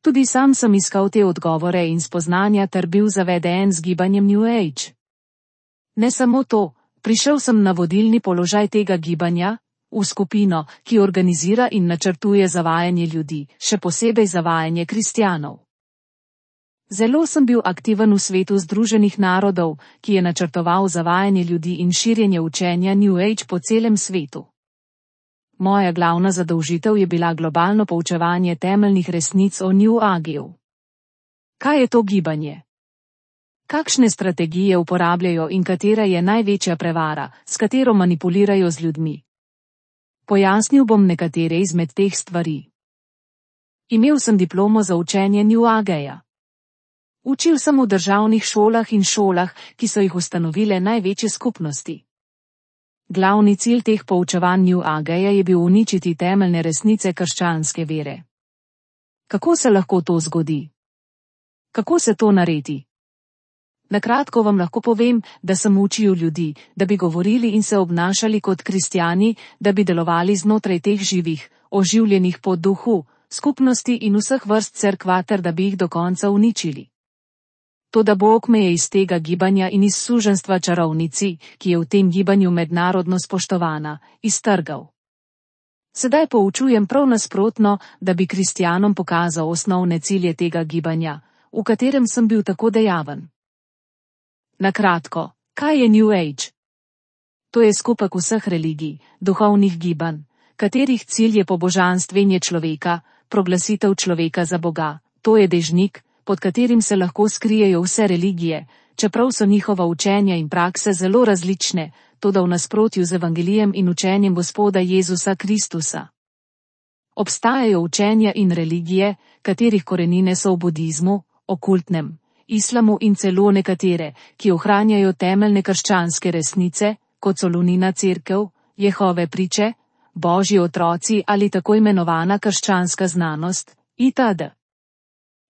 Tudi sam sem iskal te odgovore in spoznanja ter bil zaveden z gibanjem New Age. Ne samo to, prišel sem na vodilni položaj tega gibanja, v skupino, ki organizira in načrtuje zavajanje ljudi, še posebej zavajanje kristjanov. Zelo sem bil aktiven v svetu Združenih narodov, ki je načrtoval zavajanje ljudi in širjenje učenja New Age po celem svetu. Moja glavna zadolžitev je bila globalno poučevanje temeljnih resnic o New Ageu. Kaj je to gibanje? Kakšne strategije uporabljajo in katera je največja prevara, s katero manipulirajo z ljudmi? Pojasnil bom nekatere izmed teh stvari. Imel sem diplomo za učenje New Ageja. Učil sem v državnih šolah in šolah, ki so jih ustanovile največje skupnosti. Glavni cilj teh poučevanj New Ageja je bil uničiti temeljne resnice krščanske vere. Kako se lahko to zgodi? Kako se to naredi? Na kratko vam lahko povem, da sem učil ljudi, da bi govorili in se obnašali kot kristjani, da bi delovali znotraj teh živih, oživljenih po duhu, skupnosti in vseh vrst cerkva ter da bi jih do konca uničili. Toda Bog me je iz tega gibanja in iz suženstva čarovnici, ki je v tem gibanju mednarodno spoštovana, iztrgal. Sedaj poučujem prav nasprotno, da bi kristjanom pokazal osnovne cilje tega gibanja, v katerem sem bil tako dejaven. Na kratko, kaj je New Age? To je skupek vseh religij, duhovnih gibanj, katerih cilj je pobožanstvenje človeka, proglasitev človeka za Boga. To je dežnik, pod katerim se lahko skrijejo vse religije, čeprav so njihova učenja in prakse zelo različne, toda v nasprotju z evangelijem in učenjem Gospoda Jezusa Kristusa. Obstajajo učenja in religije, katerih korenine so v budizmu, okultnem, islamu in celo nekatere, ki ohranjajo temeljne krščanske resnice, kot so lunina cerkev, Jehove priče, Božji otroci ali tako imenovana krščanska znanost, itd.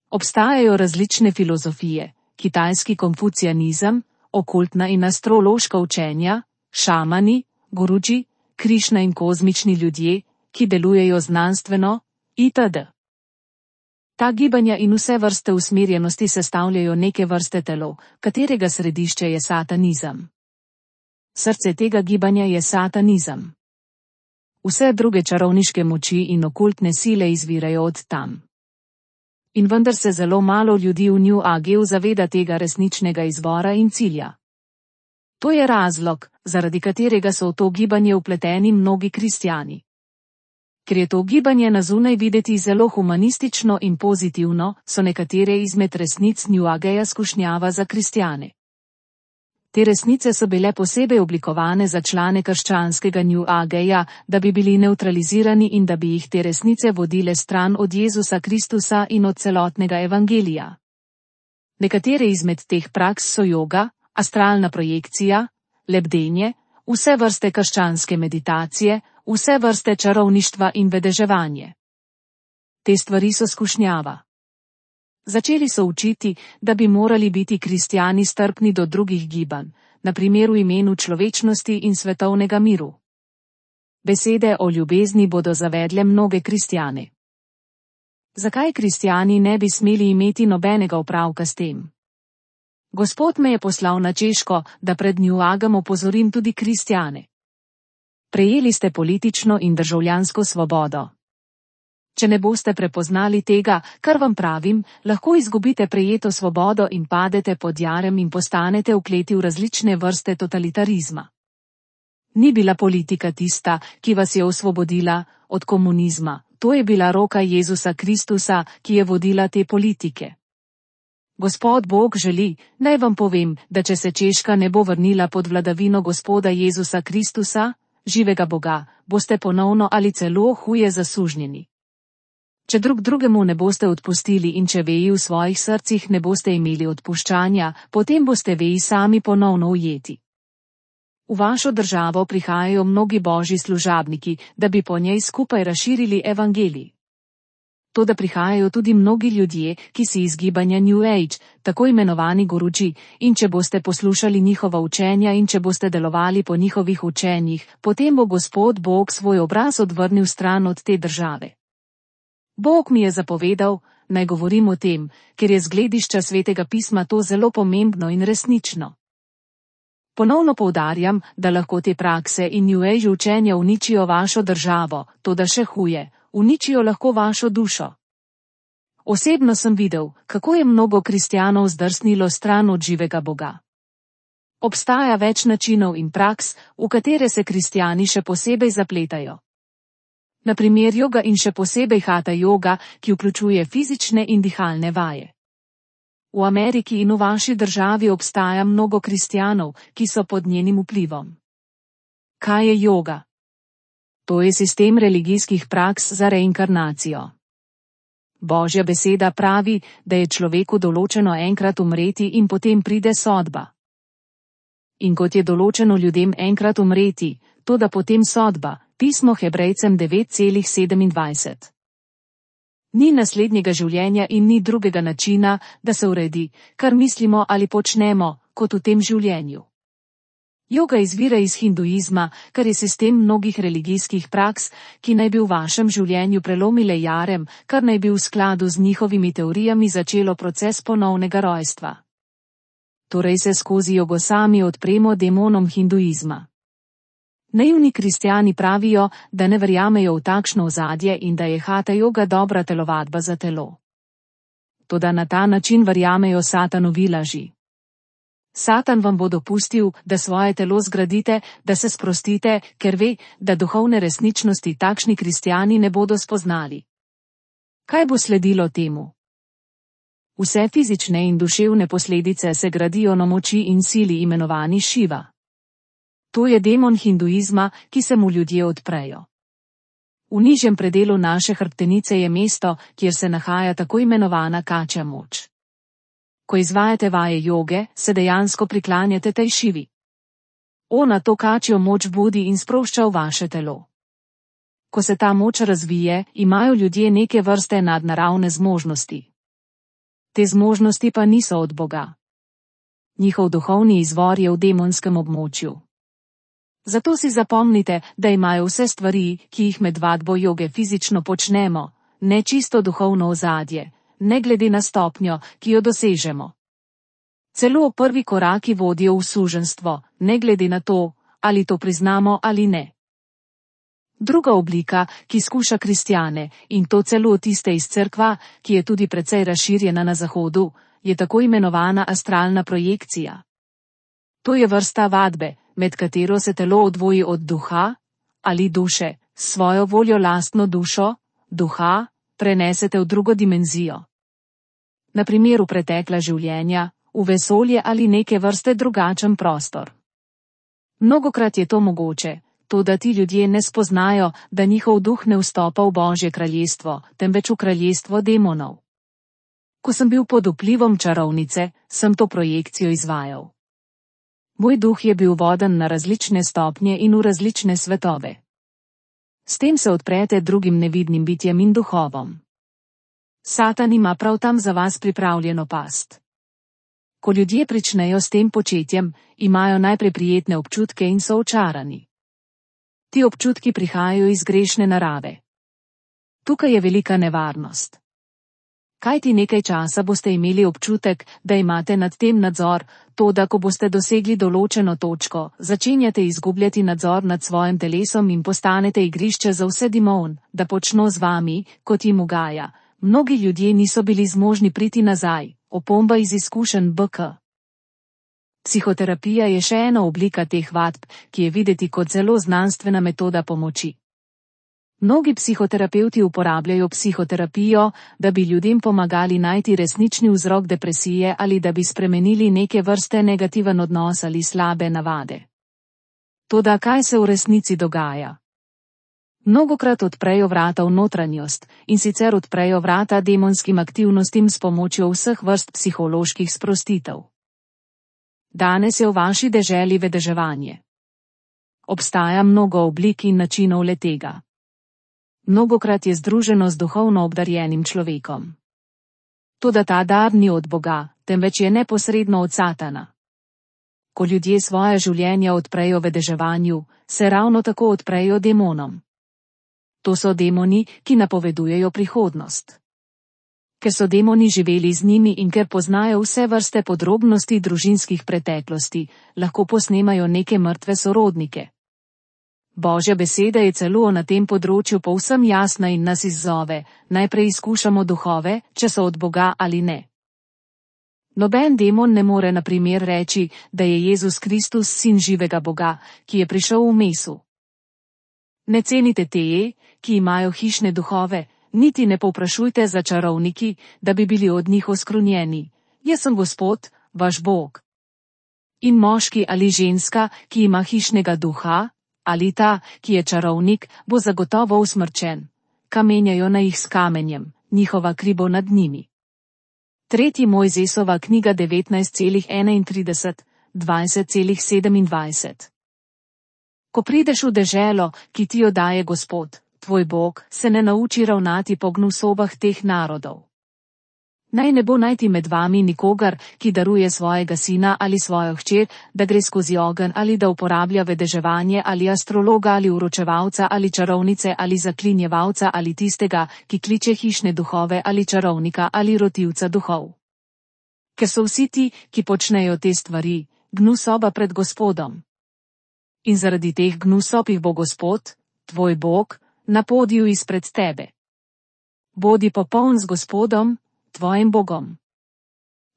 Obstajajo različne filozofije, kitajski konfucijanizem, okultna in astrološka učenja, šamani, gurudži, Krišna in kozmični ljudje, ki delujejo znanstveno, itd. Ta gibanja in vse vrste usmerjenosti sestavljajo neke vrste telo, katerega središče je satanizem. Srce tega gibanja je satanizem. Vse druge čarovniške moči in okultne sile izvirajo od tam. In vendar se zelo malo ljudi v New Ageu zaveda tega resničnega izvora in cilja. To je razlog, zaradi katerega so v to gibanje vpleteni mnogi kristjani. Ker je to gibanje na zunaj videti zelo humanistično in pozitivno, so nekatere izmed resnic New Ageja skušnjava za kristjane. Te resnice so bile posebej oblikovane za člane krščanskega New Ageja, da bi bili nevtralizirani in da bi jih te resnice vodile stran od Jezusa Kristusa in od celotnega evangelija. Nekatere izmed teh praks so joga, astralna projekcija, lebdenje, vse vrste krščanske meditacije, vse vrste čarovništva in vedeževanje. Te stvari so skušnjava. Začeli so učiti, da bi morali biti kristjani strpni do drugih gibanj, na primer v imenu človečnosti in svetovnega miru. Besede o ljubezni bodo zavedle mnoge kristjane. Zakaj kristjani ne bi smeli imeti nobenega opravka s tem? Gospod me je poslal na Češko, da pred New Agem opozorim tudi kristjane. Prejeli ste politično in državljansko svobodo. Če ne boste prepoznali tega, kar vam pravim, lahko izgubite prejeto svobodo in padete pod jarem in postanete vkleti v različne vrste totalitarizma. Ni bila politika tista, ki vas je osvobodila od komunizma, to je bila roka Jezusa Kristusa, ki je vodila te politike. Gospod Bog želi, naj vam povem, da če se Češka ne bo vrnila pod vladavino Gospoda Jezusa Kristusa, živega Boga, boste ponovno ali celo huje zasužnjeni. Če drug drugemu ne boste odpustili in če veji v svojih srcih ne boste imeli odpuščanja, potem boste veji sami ponovno ujeti. V vašo državo prihajajo mnogi božji služabniki, da bi po njej skupaj razširili evangelij. Toda prihajajo tudi mnogi ljudje, ki si iz gibanja New Age, tako imenovani gurudži, in če boste poslušali njihova učenja in če boste delovali po njihovih učenjih, potem bo Gospod Bog svoj obraz odvrnil stran od te države. Bog mi je zapovedal, naj govorim o tem, ker je z gledišča Svetega pisma to zelo pomembno in resnično. Ponovno poudarjam, da lahko te prakse in New Age učenja uničijo vašo državo, toda še huje, uničijo lahko vašo dušo. Osebno sem videl, kako je mnogo kristjanov zdrsnilo stran od živega Boga. Obstaja več načinov in praks, v katere se kristjani še posebej zapletajo. Na primer joga in še posebej hatha joga, ki vključuje fizične in dihalne vaje. V Ameriki in v vaši državi obstaja mnogo kristjanov, ki so pod njenim vplivom. Kaj je joga? To je sistem religijskih praks za reinkarnacijo. Božja beseda pravi, da je človeku določeno enkrat umreti in potem pride sodba. In kot je določeno ljudem enkrat umreti, toda potem sodba, pismo Hebrejcem devet sedemindvajset. Ni naslednjega življenja in ni drugega načina, da se uredi, kar mislimo ali počnemo, kot v tem življenju. Joga izvira iz hinduizma, kar je sistem mnogih religijskih praks, ki naj bi v vašem življenju prelomile jarem, kar naj bi v skladu z njihovimi teorijami začelo proces ponovnega rojstva. Torej se skozi jogo sami odpremo demonom hinduizma. Naivni kristjani pravijo, da ne verjamejo v takšno ozadje in da je hatha joga dobra telovadba za telo. Toda na ta način verjamejo Satanovi laži. Satan vam bo dopustil, da svoje telo zgradite, da se sprostite, ker ve, da duhovne resničnosti takšni kristjani ne bodo spoznali. Kaj bo sledilo temu? Vse fizične in duševne posledice se gradijo na moči in sili imenovani Šiva. To je demon hinduizma, ki se mu ljudje odprejo. V nižjem predelu naše hrbtenice je mesto, kjer se nahaja tako imenovana kačja moč. Ko izvajate vaje joge, se dejansko priklanjate tej Šivi. Ona to kačjo moč budi in sprošča v vaše telo. Ko se ta moč razvije, imajo ljudje neke vrste nadnaravne zmožnosti. Te zmožnosti pa niso od Boga. Njihov duhovni izvor je v demonskem območju. Zato si zapomnite, da imajo vse stvari, ki jih med vadbo joge fizično počnemo, ne čisto duhovno ozadje, ne glede na stopnjo, ki jo dosežemo. Celo prvi koraki vodijo v suženjstvo, ne glede na to, ali to priznamo ali ne. Druga oblika, ki skuša kristjane, in to celo tiste iz cerkva, ki je tudi precej razširjena na zahodu, je tako imenovana astralna projekcija. To je vrsta vadbe, med katero se telo odvoji od duha ali duše, svojo voljo lastno dušo, duha, prenesete v drugo dimenzijo. Na primer v pretekla življenja, v vesolje ali neke vrste drugačen prostor. Mnogokrat je to mogoče, toda ti ljudje ne spoznajo, da njihov duh ne vstopa v Božje kraljestvo, temveč v kraljestvo demonov. Ko sem bil pod vplivom čarovnice, sem to projekcijo izvajal. Moj duh je bil voden na različne stopnje in v različne svetove. S tem se odprete drugim nevidnim bitjem in duhovom. Satan ima prav tam za vas pripravljeno past. Ko ljudje pričnejo s tem početjem, imajo najprej prijetne občutke in so očarani. Ti občutki prihajajo iz grešne narave. Tukaj je velika nevarnost. Kajti nekaj časa boste imeli občutek, da imate nad tem nadzor, toda ko boste dosegli določeno točko, začenjate izgubljati nadzor nad svojim telesom in postanete igrišče za vse demon, da počno z vami, kot jim ugaja. Mnogi ljudje niso bili zmožni priti nazaj, opomba iz izkušenj B K. Psihoterapija je še ena oblika teh vadb, ki je videti kot zelo znanstvena metoda pomoči. Mnogi psihoterapevti uporabljajo psihoterapijo, da bi ljudem pomagali najti resnični vzrok depresije ali da bi spremenili neke vrste negativen odnos ali slabe navade. Toda kaj se v resnici dogaja? Mnogokrat odprejo vrata v notranjost, in sicer odprejo vrata demonskim aktivnostim s pomočjo vseh vrst psiholoških sprostitev. Danes je v vaši deželi vedeževanje. Obstaja mnogo oblik in načinov le-tega. Mnogokrat je združeno z duhovno obdarjenim človekom. Toda ta dar ni od Boga, temveč je neposredno od Satana. Ko ljudje svoje življenja odprejo vedeževanju, se ravno tako odprejo demonom. To so demoni, ki napovedujejo prihodnost. Ker so demoni živeli z njimi in ker poznajo vse vrste podrobnosti družinskih preteklosti, lahko posnemajo neke mrtve sorodnike. Božja beseda je celo na tem področju povsem jasna in nas izzove, najprej izkušamo duhove, če so od Boga ali ne. Noben demon ne more na primer reči, da je Jezus Kristus sin živega Boga, ki je prišel v mesu. Ne cenite teje, ki imajo hišne duhove, niti ne povprašujte za čarovniki, da bi bili od njih oskrunjeni. Jaz sem Gospod, vaš Bog. In moški ali ženska, ki ima hišnega duha, ali ta, ki je čarovnik, bo zagotovo usmrčen. Kamenjajo na jih s kamenjem, njihova kri bo nad njimi. Tretji Mojzesova knjiga devetnajst enaintrideset, dvajset sedemindvajset. Ko prideš v deželo, ki ti jo daje Gospod, tvoj Bog, se ne nauči ravnati po gnusobah teh narodov. Naj ne bo najti med vami nikogar, ki daruje svojega sina ali svojo hčer, da gre skozi ogenj ali da uporablja vedeževanje ali astrologa ali uročevalca ali čarovnice ali zaklinjevalca ali tistega, ki kliče hišne duhove ali čarovnika ali rotivca duhov. Ker so vsi ti, ki počnejo te stvari, gnusoba pred Gospodom. In zaradi teh gnusob jih bo Gospod, tvoj Bog, napodil izpred tebe. Bodi popoln z Gospodom, tvojim Bogom.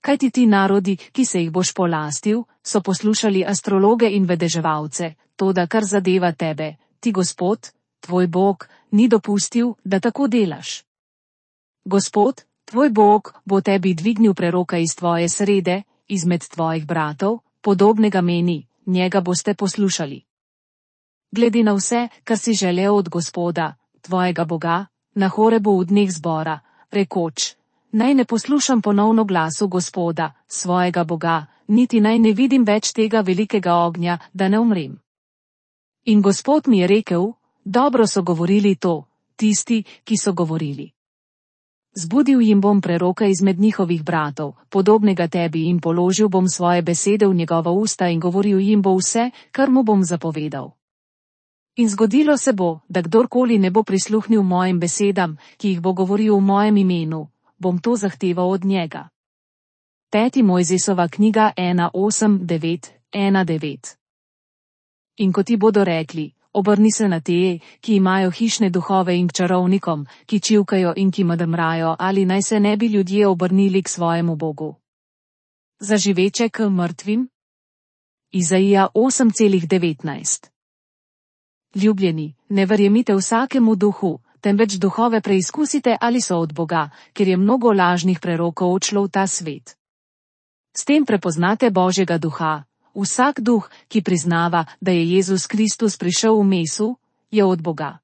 Kajti ti narodi, ki se jih boš polastil, so poslušali astrologe in vedeževalce, toda kar zadeva tebe, ti Gospod, tvoj Bog, ni dopustil, da tako delaš. Gospod, tvoj Bog, bo tebi dvignil preroka iz tvoje srede, izmed tvojih bratov, podobnega meni, njega boste poslušali. Glede na vse, kar si želel od Gospoda, tvojega Boga, na Horebu v dneh zbora, rekoč: Naj ne poslušam ponovno glasu Gospoda, svojega Boga, niti naj ne vidim več tega velikega ognja, da ne umrem. In Gospod mi je rekel: dobro so govorili to, tisti, ki so govorili. Zbudil jim bom preroka izmed njihovih bratov, podobnega tebi, in položil bom svoje besede v njegova usta in govoril jim bo vse, kar mu bom zapovedal. In zgodilo se bo, da kdorkoli ne bo prisluhnil mojim besedam, ki jih bo govoril v mojem imenu, bom to zahteval od njega. Peti Mojzesova knjiga ena osem devet ena devet. In ko ti bodo rekli: obrni se na te, ki imajo hišne duhove, in k čarovnikom, ki čivkajo in ki mrmrajo, ali naj se ne bi ljudje obrnili k svojemu Bogu. Za živeče k mrtvim? Izaija osem devetnajst. Ljubljeni, ne verjemite vsakemu duhu, temveč duhove preizkusite, ali so od Boga, ker je mnogo lažnih prerokov odšlo v ta svet. S tem prepoznate Božjega duha. Vsak duh, ki priznava, da je Jezus Kristus prišel v mesu, je od Boga.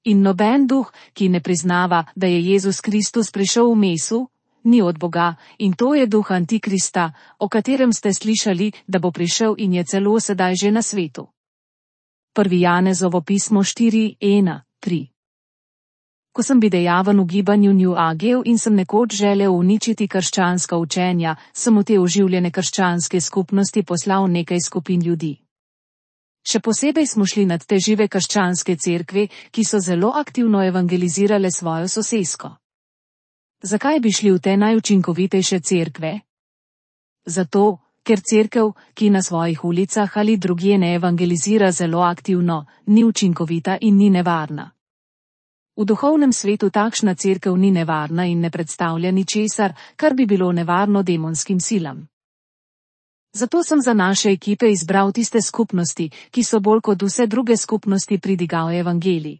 In noben duh, ki ne priznava, da je Jezus Kristus prišel v mesu, ni od Boga, in to je duh Antikrista, o katerem ste slišali, da bo prišel in je celo sedaj že na svetu. Prvi Janezovo pismo štiri ena tri. Ko sem bil dejaven v gibanju New Age in sem nekoč želel uničiti krščanska učenja, sem v te oživljene krščanske skupnosti poslal nekaj skupin ljudi. Še posebej smo šli nad te žive krščanske cerkve, ki so zelo aktivno evangelizirale svojo sosesko. Zakaj bi šli v te najučinkovitejše cerkve? Zato, ker cerkev, ki na svojih ulicah ali drugje ne evangelizira zelo aktivno, ni učinkovita in ni nevarna. V duhovnem svetu takšna cerkev ni nevarna in ne predstavlja ničesar, kar bi bilo nevarno demonskim silam. Zato sem za naše ekipe izbral tiste skupnosti, ki so bolj kot vse druge skupnosti pridigal evangelij.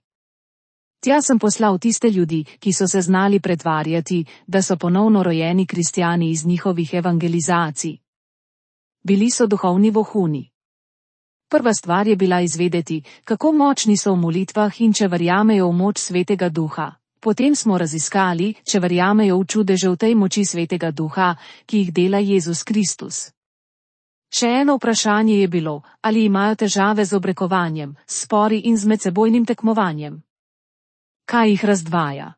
Tja sem poslal tiste ljudi, ki so se znali pretvarjati, da so ponovno rojeni kristjani iz njihovih evangelizacij. Bili so duhovni vohuni. Prva stvar je bila izvedeti, kako močni so v molitvah in če verjamejo v moč Svetega Duha. Potem smo raziskali, če verjamejo v čudeže v tej moči Svetega Duha, ki jih dela Jezus Kristus. Še eno vprašanje je bilo, ali imajo težave z obrekovanjem, spori in z medsebojnim tekmovanjem. Kaj jih razdvaja?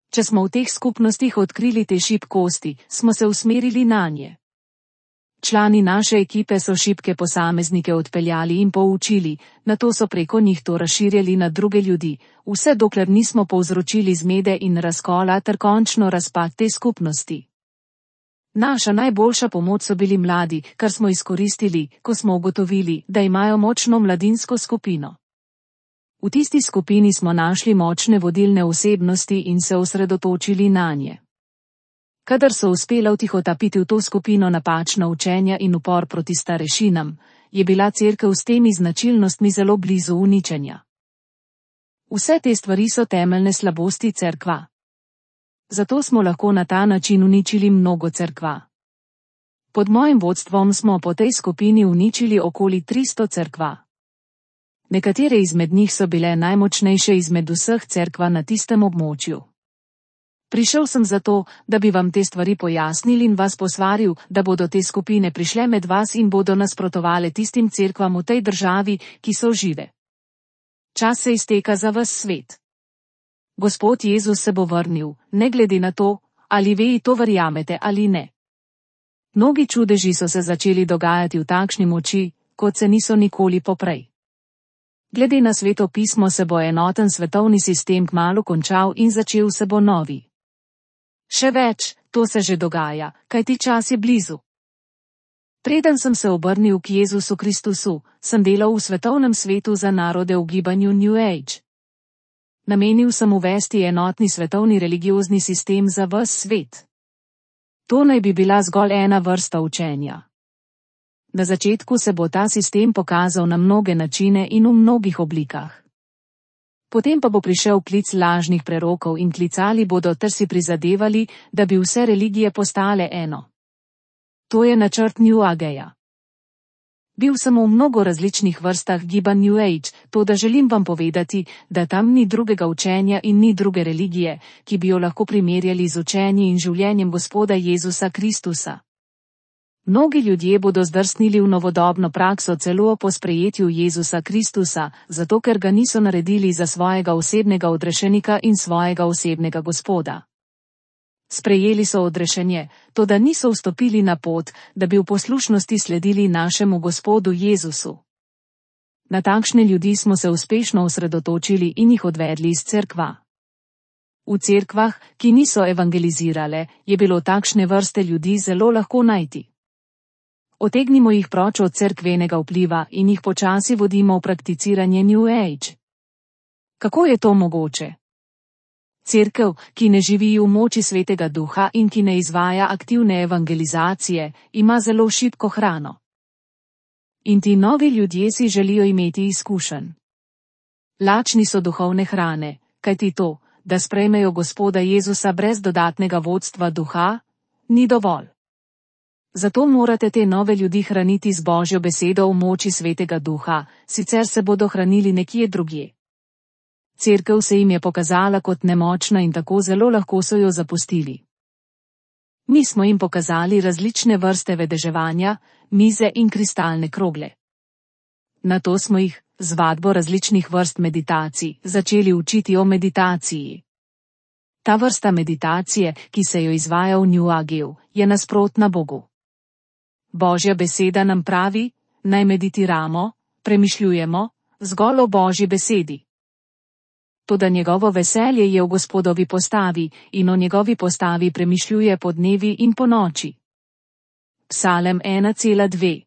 Če smo v teh skupnostih odkrili te šibkosti, smo se usmerili nanje. Člani naše ekipe so šibke posameznike odpeljali in poučili, nato so preko njih to razširjali na druge ljudi, vse dokler nismo povzročili zmede in razkola ter končno razpad te skupnosti. Naša najboljša pomoč so bili mladi, kar smo izkoristili, ko smo ugotovili, da imajo močno mladinsko skupino. V tisti skupini smo našli močne vodilne osebnosti in se osredotočili nanje. Kadar so uspela vtihotapiti v to skupino napačna učenja in upor proti starešinam, je bila cerkev s temi značilnostmi zelo blizu uničenja. Vse te stvari so temeljne slabosti cerkva. Zato smo lahko na ta način uničili mnogo cerkva. Pod mojim vodstvom smo po tej skupini uničili okoli tristo cerkva. Nekatere izmed njih so bile najmočnejše izmed vseh cerkva na tistem območju. Prišel sem zato, da bi vam te stvari pojasnil in vas posvaril, da bodo te skupine prišle med vas in bodo nasprotovale tistim cerkvam v tej državi, ki so žive. Čas se izteka za ves svet. Gospod Jezus se bo vrnil, ne glede na to, ali vi to verjamete ali ne. Mnogi čudeži so se začeli dogajati v takšni moči, kot se niso nikoli poprej. Glede na Sveto pismo se bo enoten svetovni sistem kmalu končal in začel se bo novi. Še več, to se že dogaja, kajti čas je blizu. Preden sem se obrnil k Jezusu Kristusu, sem delal v svetovnem svetu za narode v gibanju New Age. Namenil sem uvesti enotni svetovni religiozni sistem za ves svet. To naj bi bila zgolj ena vrsta učenja. Na začetku se bo ta sistem pokazal na mnoge načine in v mnogih oblikah. Potem pa bo prišel klic lažnih prerokov in klicali bodo ter si prizadevali, da bi vse religije postale eno. To je načrt New Ageja. Bil sem v mnogo različnih vrstah gibanj New Age, to da želim vam povedati, da tam ni drugega učenja in ni druge religije, ki bi jo lahko primerjali z učenji in življenjem Gospoda Jezusa Kristusa. Mnogi ljudje bodo zdrsnili v novodobno prakso celo po sprejetju Jezusa Kristusa, zato ker ga niso naredili za svojega osebnega odrešenika in svojega osebnega Gospoda. Sprejeli so odrešenje, toda niso vstopili na pot, da bi v poslušnosti sledili našemu Gospodu Jezusu. Na takšne ljudi smo se uspešno osredotočili in jih odvedli iz cerkva. V cerkvah, ki niso evangelizirale, je bilo takšne vrste ljudi zelo lahko najti. Otegnimo jih proč od cerkvenega vpliva in jih počasi vodimo v prakticiranje New Age. Kako je to mogoče? Cerkev, ki ne živi v moči Svetega Duha in ki ne izvaja aktivne evangelizacije, ima zelo šibko hrano. In ti novi ljudje si želijo imeti izkušenj. Lačni so duhovne hrane, kajti to, da sprejmejo Gospoda Jezusa brez dodatnega vodstva duha, ni dovolj. Zato morate te nove ljudi hraniti z Božjo besedo v moči Svetega Duha, sicer se bodo hranili nekje drugje. Cerkev se jim je pokazala kot nemočna in tako zelo lahko so jo zapustili. Mi smo jim pokazali različne vrste vedeževanja, mize in kristalne krogle. Nato smo jih, z vadbo različnih vrst meditacij, začeli učiti o meditaciji. Ta vrsta meditacije, ki se jo izvaja v New Ageu, je nasprotna Bogu. Božja beseda nam pravi, naj meditiramo, premišljujemo, zgolj o Božji besedi. Toda njegovo veselje je v Gospodovi postavi in o njegovi postavi premišljuje po dnevi in po noči. Psalem ena cela dve.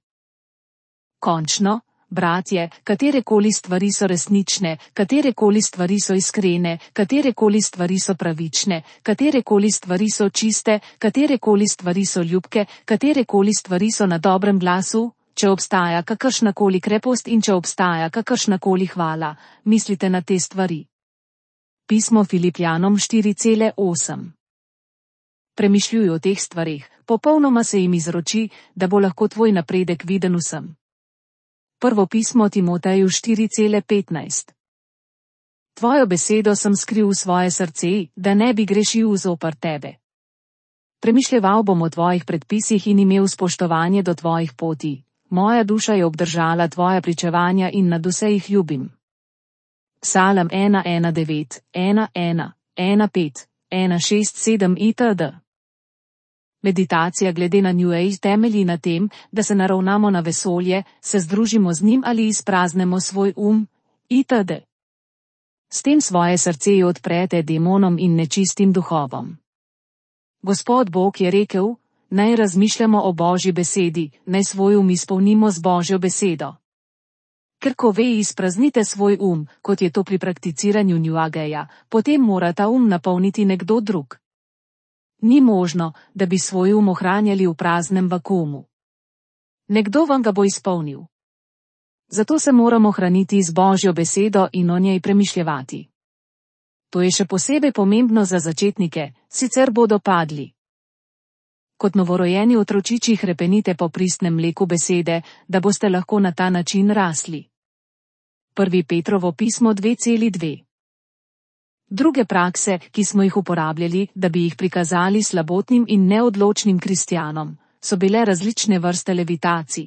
Končno, bratje, katerekoli stvari so resnične, katerekoli stvari so iskrene, katerekoli stvari so pravične, katerekoli stvari so čiste, katerekoli stvari so ljubke, katerekoli stvari so na dobrem glasu, če obstaja kakršnakoli krepost in če obstaja kakršnakoli hvala, mislite na te stvari. Pismo Filipljanom štiri cela osem. Premišljuj o teh stvareh, popolnoma se jim izroči, da bo lahko tvoj napredek viden vsem. Prvo pismo Timoteju štiri cela petnajst. Tvojo besedo sem skril v svoje srce, da ne bi grešil zoper tebe. Premišljeval bom o tvojih predpisih in imel spoštovanje do tvojih poti. Moja duša je obdržala tvoja pričevanja in nadvse jih ljubim. Psalem ena ena devet, ena ena, ena pet, ena šest sedem itd. Meditacija glede na New Age temelji na tem, da se naravnamo na vesolje, se združimo z njim ali izpraznemo svoj um, itd. S tem svoje srce odprete demonom in nečistim duhovom. Gospod Bog je rekel, naj razmišljamo o Božji besedi, naj svoj um izpolnimo z Božjo besedo. Ker ko ve izpraznite svoj um, kot je to pri prakticiranju New Ageja, potem mora ta um napolniti nekdo drug. Ni možno, da bi svoj um ohranjali v praznem vakuumu. Nekdo vam ga bo izpolnil. Zato se moramo hraniti z Božjo besedo in o njej premišljevati. To je še posebej pomembno za začetnike, sicer bodo padli. Kot novorojeni otročiči hrepenite po pristnem mleku besede, da boste lahko na ta način rasli. Prvi Petrovo pismo dve dve. Druge prakse, ki smo jih uporabljali, da bi jih prikazali slabotnim in neodločnim kristjanom, so bile različne vrste levitacij.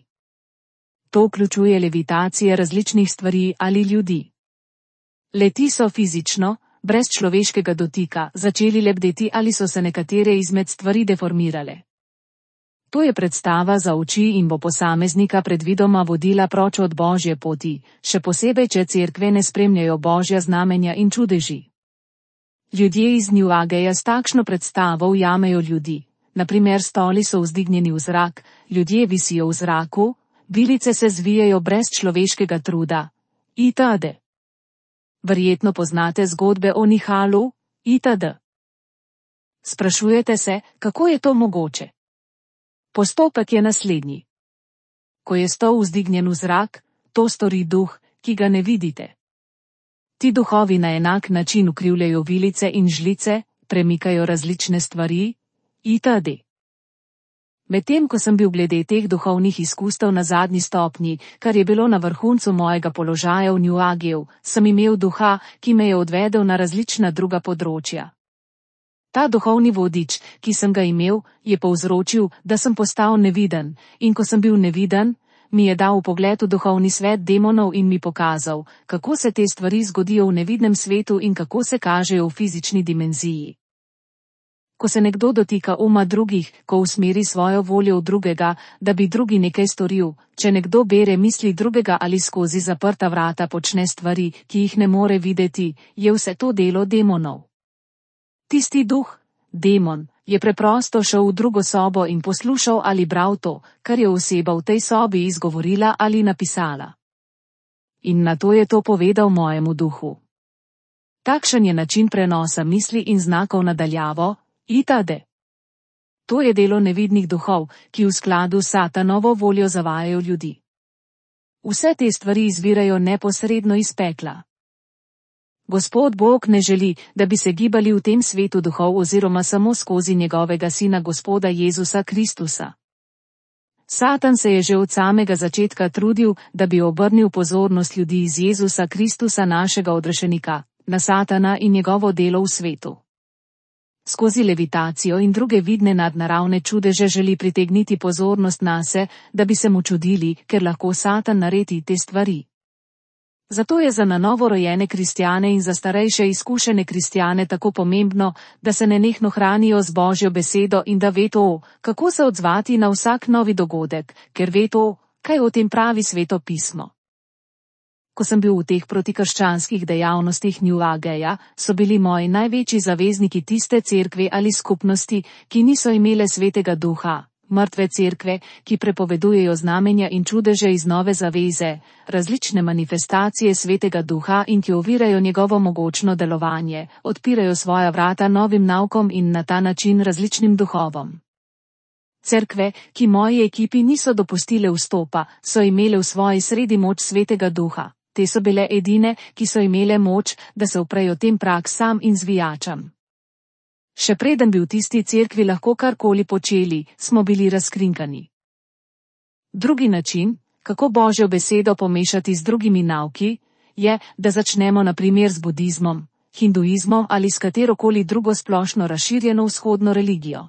To vključuje levitacije različnih stvari ali ljudi. Le-ti so fizično, brez človeškega dotika, začeli lebdeti ali so se nekatere izmed stvari deformirale. To je predstava za oči in bo posameznika predvidoma vodila proč od Božje poti, še posebej, če cerkve ne spremljajo Božja znamenja in čudeži. Ljudje iz New Ageja s takšno predstavo ujamejo ljudi, naprimer stoli so vzdignjeni v zrak, ljudje visijo v zraku, vilice se zvijajo brez človeškega truda, itd. Verjetno poznate zgodbe o nihalu, itd. Sprašujete se, kako je to mogoče? Postopek je naslednji. Ko je stol vzdignjen v zrak, to stori duh, ki ga ne vidite. Ti duhovi na enak način ukrivljajo vilice in žlice, premikajo različne stvari, itd. Medtem ko sem bil glede teh duhovnih izkustev na zadnji stopnji, kar je bilo na vrhuncu mojega položaja v New Ageju, sem imel duha, ki me je odvedel na različna druga področja. Ta duhovni vodič, ki sem ga imel, je povzročil, da sem postal neviden, in ko sem bil neviden, mi je dal vpogled v duhovni svet demonov in mi pokazal, kako se te stvari zgodijo v nevidnem svetu in kako se kažejo v fizični dimenziji. Ko se nekdo dotika uma drugih, ko usmeri svojo voljo v drugega, da bi drugi nekaj storil, če nekdo bere misli drugega ali skozi zaprta vrata počne stvari, ki jih ne more videti, je vse to delo demonov. Tisti duh, demon, je preprosto šel v drugo sobo in poslušal ali bral to, kar je oseba v tej sobi izgovorila ali napisala. In nato je to povedal mojemu duhu. Takšen je način prenosa misli in znakov nadaljavo, itd. To je delo nevidnih duhov, ki v skladu s Satanovo voljo zavajajo ljudi. Vse te stvari izvirajo neposredno iz pekla. Gospod Bog ne želi, da bi se gibali v tem svetu duhov oziroma samo skozi njegovega sina Gospoda Jezusa Kristusa. Satan se je že od samega začetka trudil, da bi obrnil pozornost ljudi iz Jezusa Kristusa našega odrešenika, na Satana in njegovo delo v svetu. Skozi levitacijo in druge vidne nadnaravne čudeže želi pritegniti pozornost nase, da bi se mu čudili, ker lahko Satan naredi te stvari. Zato je za na novo rojene kristjane in za starejše izkušene kristjane tako pomembno, da se nenehno hranijo z Božjo besedo in da ve to, kako se odzvati na vsak novi dogodek, ker ve to, kaj o tem pravi Sveto pismo. Ko sem bil v teh protikrščanskih dejavnostih New Ageja, so bili moji največji zavezniki tiste cerkve ali skupnosti, ki niso imele Svetega Duha, mrtve cerkve, ki prepovedujejo znamenja in čudeže iz nove zaveze, različne manifestacije Svetega Duha in ki ovirajo njegovo mogočno delovanje, odpirajo svoja vrata novim naukom in na ta način različnim duhovom. Cerkve, ki moji ekipi niso dopustile vstopa, so imele v svoji sredi moč Svetega Duha. Te so bile edine, ki so imele moč, da se uprejo tem praksam in zvijačam. Še preden bi v tisti cerkvi lahko karkoli počeli, smo bili razkrinkani. Drugi način, kako Božjo besedo pomešati z drugimi nauki, je, da začnemo na primer z budizmom, hinduizmom ali s katerokoli drugo splošno razširjeno vzhodno religijo.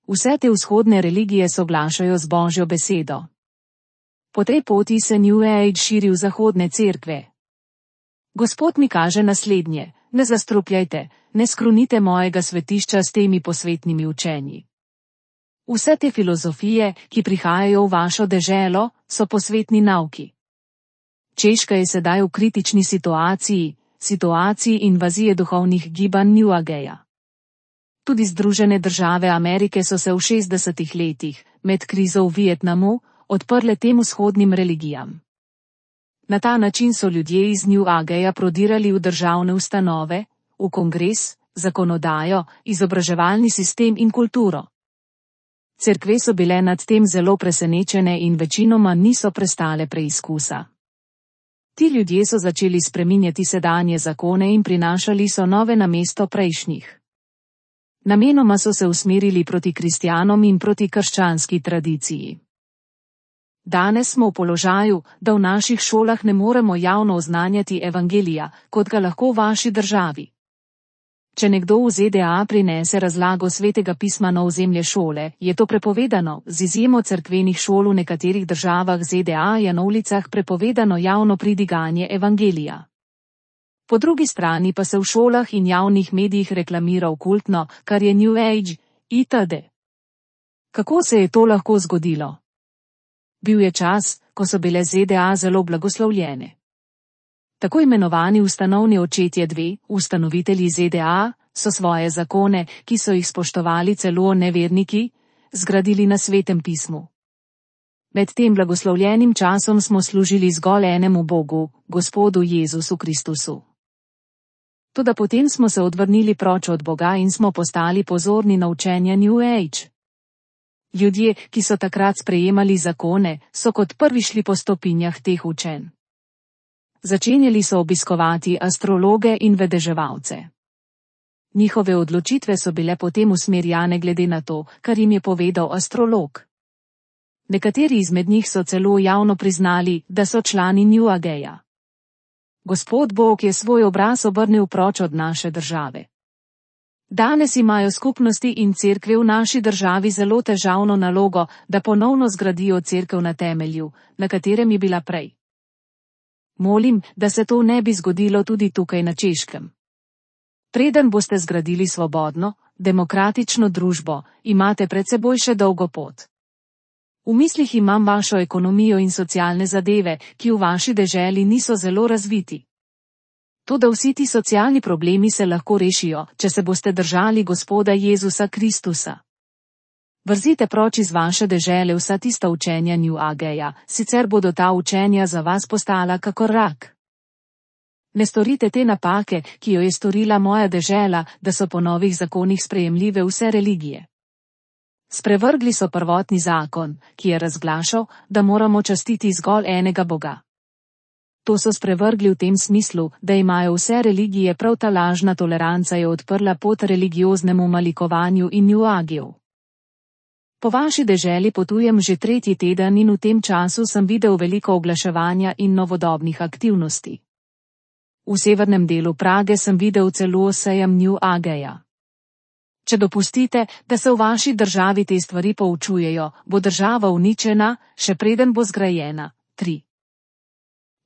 Vse te vzhodne religije soglašajo z Božjo besedo. Po tej poti se New Age širi v zahodne cerkve. Gospod mi kaže naslednje: ne zastrupljajte, ne skrunite mojega svetišča s temi posvetnimi učenji. Vse te filozofije, ki prihajajo v vašo deželo, so posvetni nauki. Češka je sedaj v kritični situaciji, situaciji invazije duhovnih gibanj New Ageja. Tudi Združene države Amerike so se v šestdesetih letih, med krizo v Vietnamu, odprle tem vzhodnim religijam. Na ta način so ljudje iz New Ageja prodirali v državne ustanove, v kongres, zakonodajo, izobraževalni sistem in kulturo. Cerkve so bile nad tem zelo presenečene in večinoma niso prestale preizkusa. Ti ljudje so začeli spreminjati sedanje zakone in prinašali so nove namesto prejšnjih. Namenoma so se usmerili proti kristjanom in proti krščanski tradiciji. Danes smo v položaju, da v naših šolah ne moremo javno oznanjati evangelija, kot ga lahko v vaši državi. Če nekdo v Z D A prinese razlago svetega pisma na ozemlje šole, je to prepovedano, z izjemo cerkvenih šol v nekaterih državah Z D A je na ulicah prepovedano javno pridiganje evangelija. Po drugi strani pa se v šolah in javnih medijih reklamira okultno, kar je New Age, itd. Kako se je to lahko zgodilo? Bil je čas, ko so bile Z D A zelo blagoslovljene. Tako imenovani ustanovni očetje dve, ustanovitelji Z D A, so svoje zakone, ki so jih spoštovali celo neverniki, zgradili na svetem pismu. Med tem blagoslovljenim časom smo služili zgolj enemu Bogu, Gospodu Jezusu Kristusu. Toda potem smo se odvrnili proč od Boga in smo postali pozorni na učenja New Age. Ljudje, ki so takrat sprejemali zakone, so kot prvi šli po stopinjah teh učenj. Začenjali so obiskovati astrologe in vedeževalce. Njihove odločitve so bile potem usmerjane glede na to, kar jim je povedal astrolog. Nekateri izmed njih so celo javno priznali, da so člani New Ageja. Gospod Bog je svoj obraz obrnil proč od naše države. Danes imajo skupnosti in cerkve v naši državi zelo težavno nalogo, da ponovno zgradijo cerkev na temelju, na katerem je bila prej. Molim, da se to ne bi zgodilo tudi tukaj na Češkem. Preden boste zgradili svobodno, demokratično družbo, imate pred seboj še dolgo pot. V mislih imam vašo ekonomijo in socialne zadeve, ki v vaši deželi niso zelo razviti. Toda vsi ti socialni problemi se lahko rešijo, če se boste držali Gospoda Jezusa Kristusa. Vrzite proč iz vaše dežele vsa tista učenja New Ageja, sicer bodo ta učenja za vas postala kakor rak. Ne storite te napake, ki jo je storila moja dežela, da so po novih zakonih sprejemljive vse religije. Sprevrgli so prvotni zakon, ki je razglašal, da moramo častiti zgolj enega Boga. To so sprevrgli v tem smislu, da imajo vse religije, prav ta lažna toleranca je odprla pot religioznemu malikovanju in New Ageju. Po vaši deželi potujem že tretji teden in v tem času sem videl veliko oglaševanja in novodobnih aktivnosti. V severnem delu Prage sem videl celo sejem New Ageja. Če dopustite, da se v vaši državi te stvari poučujejo, bo država uničena, še preden bo zgrajena. tri.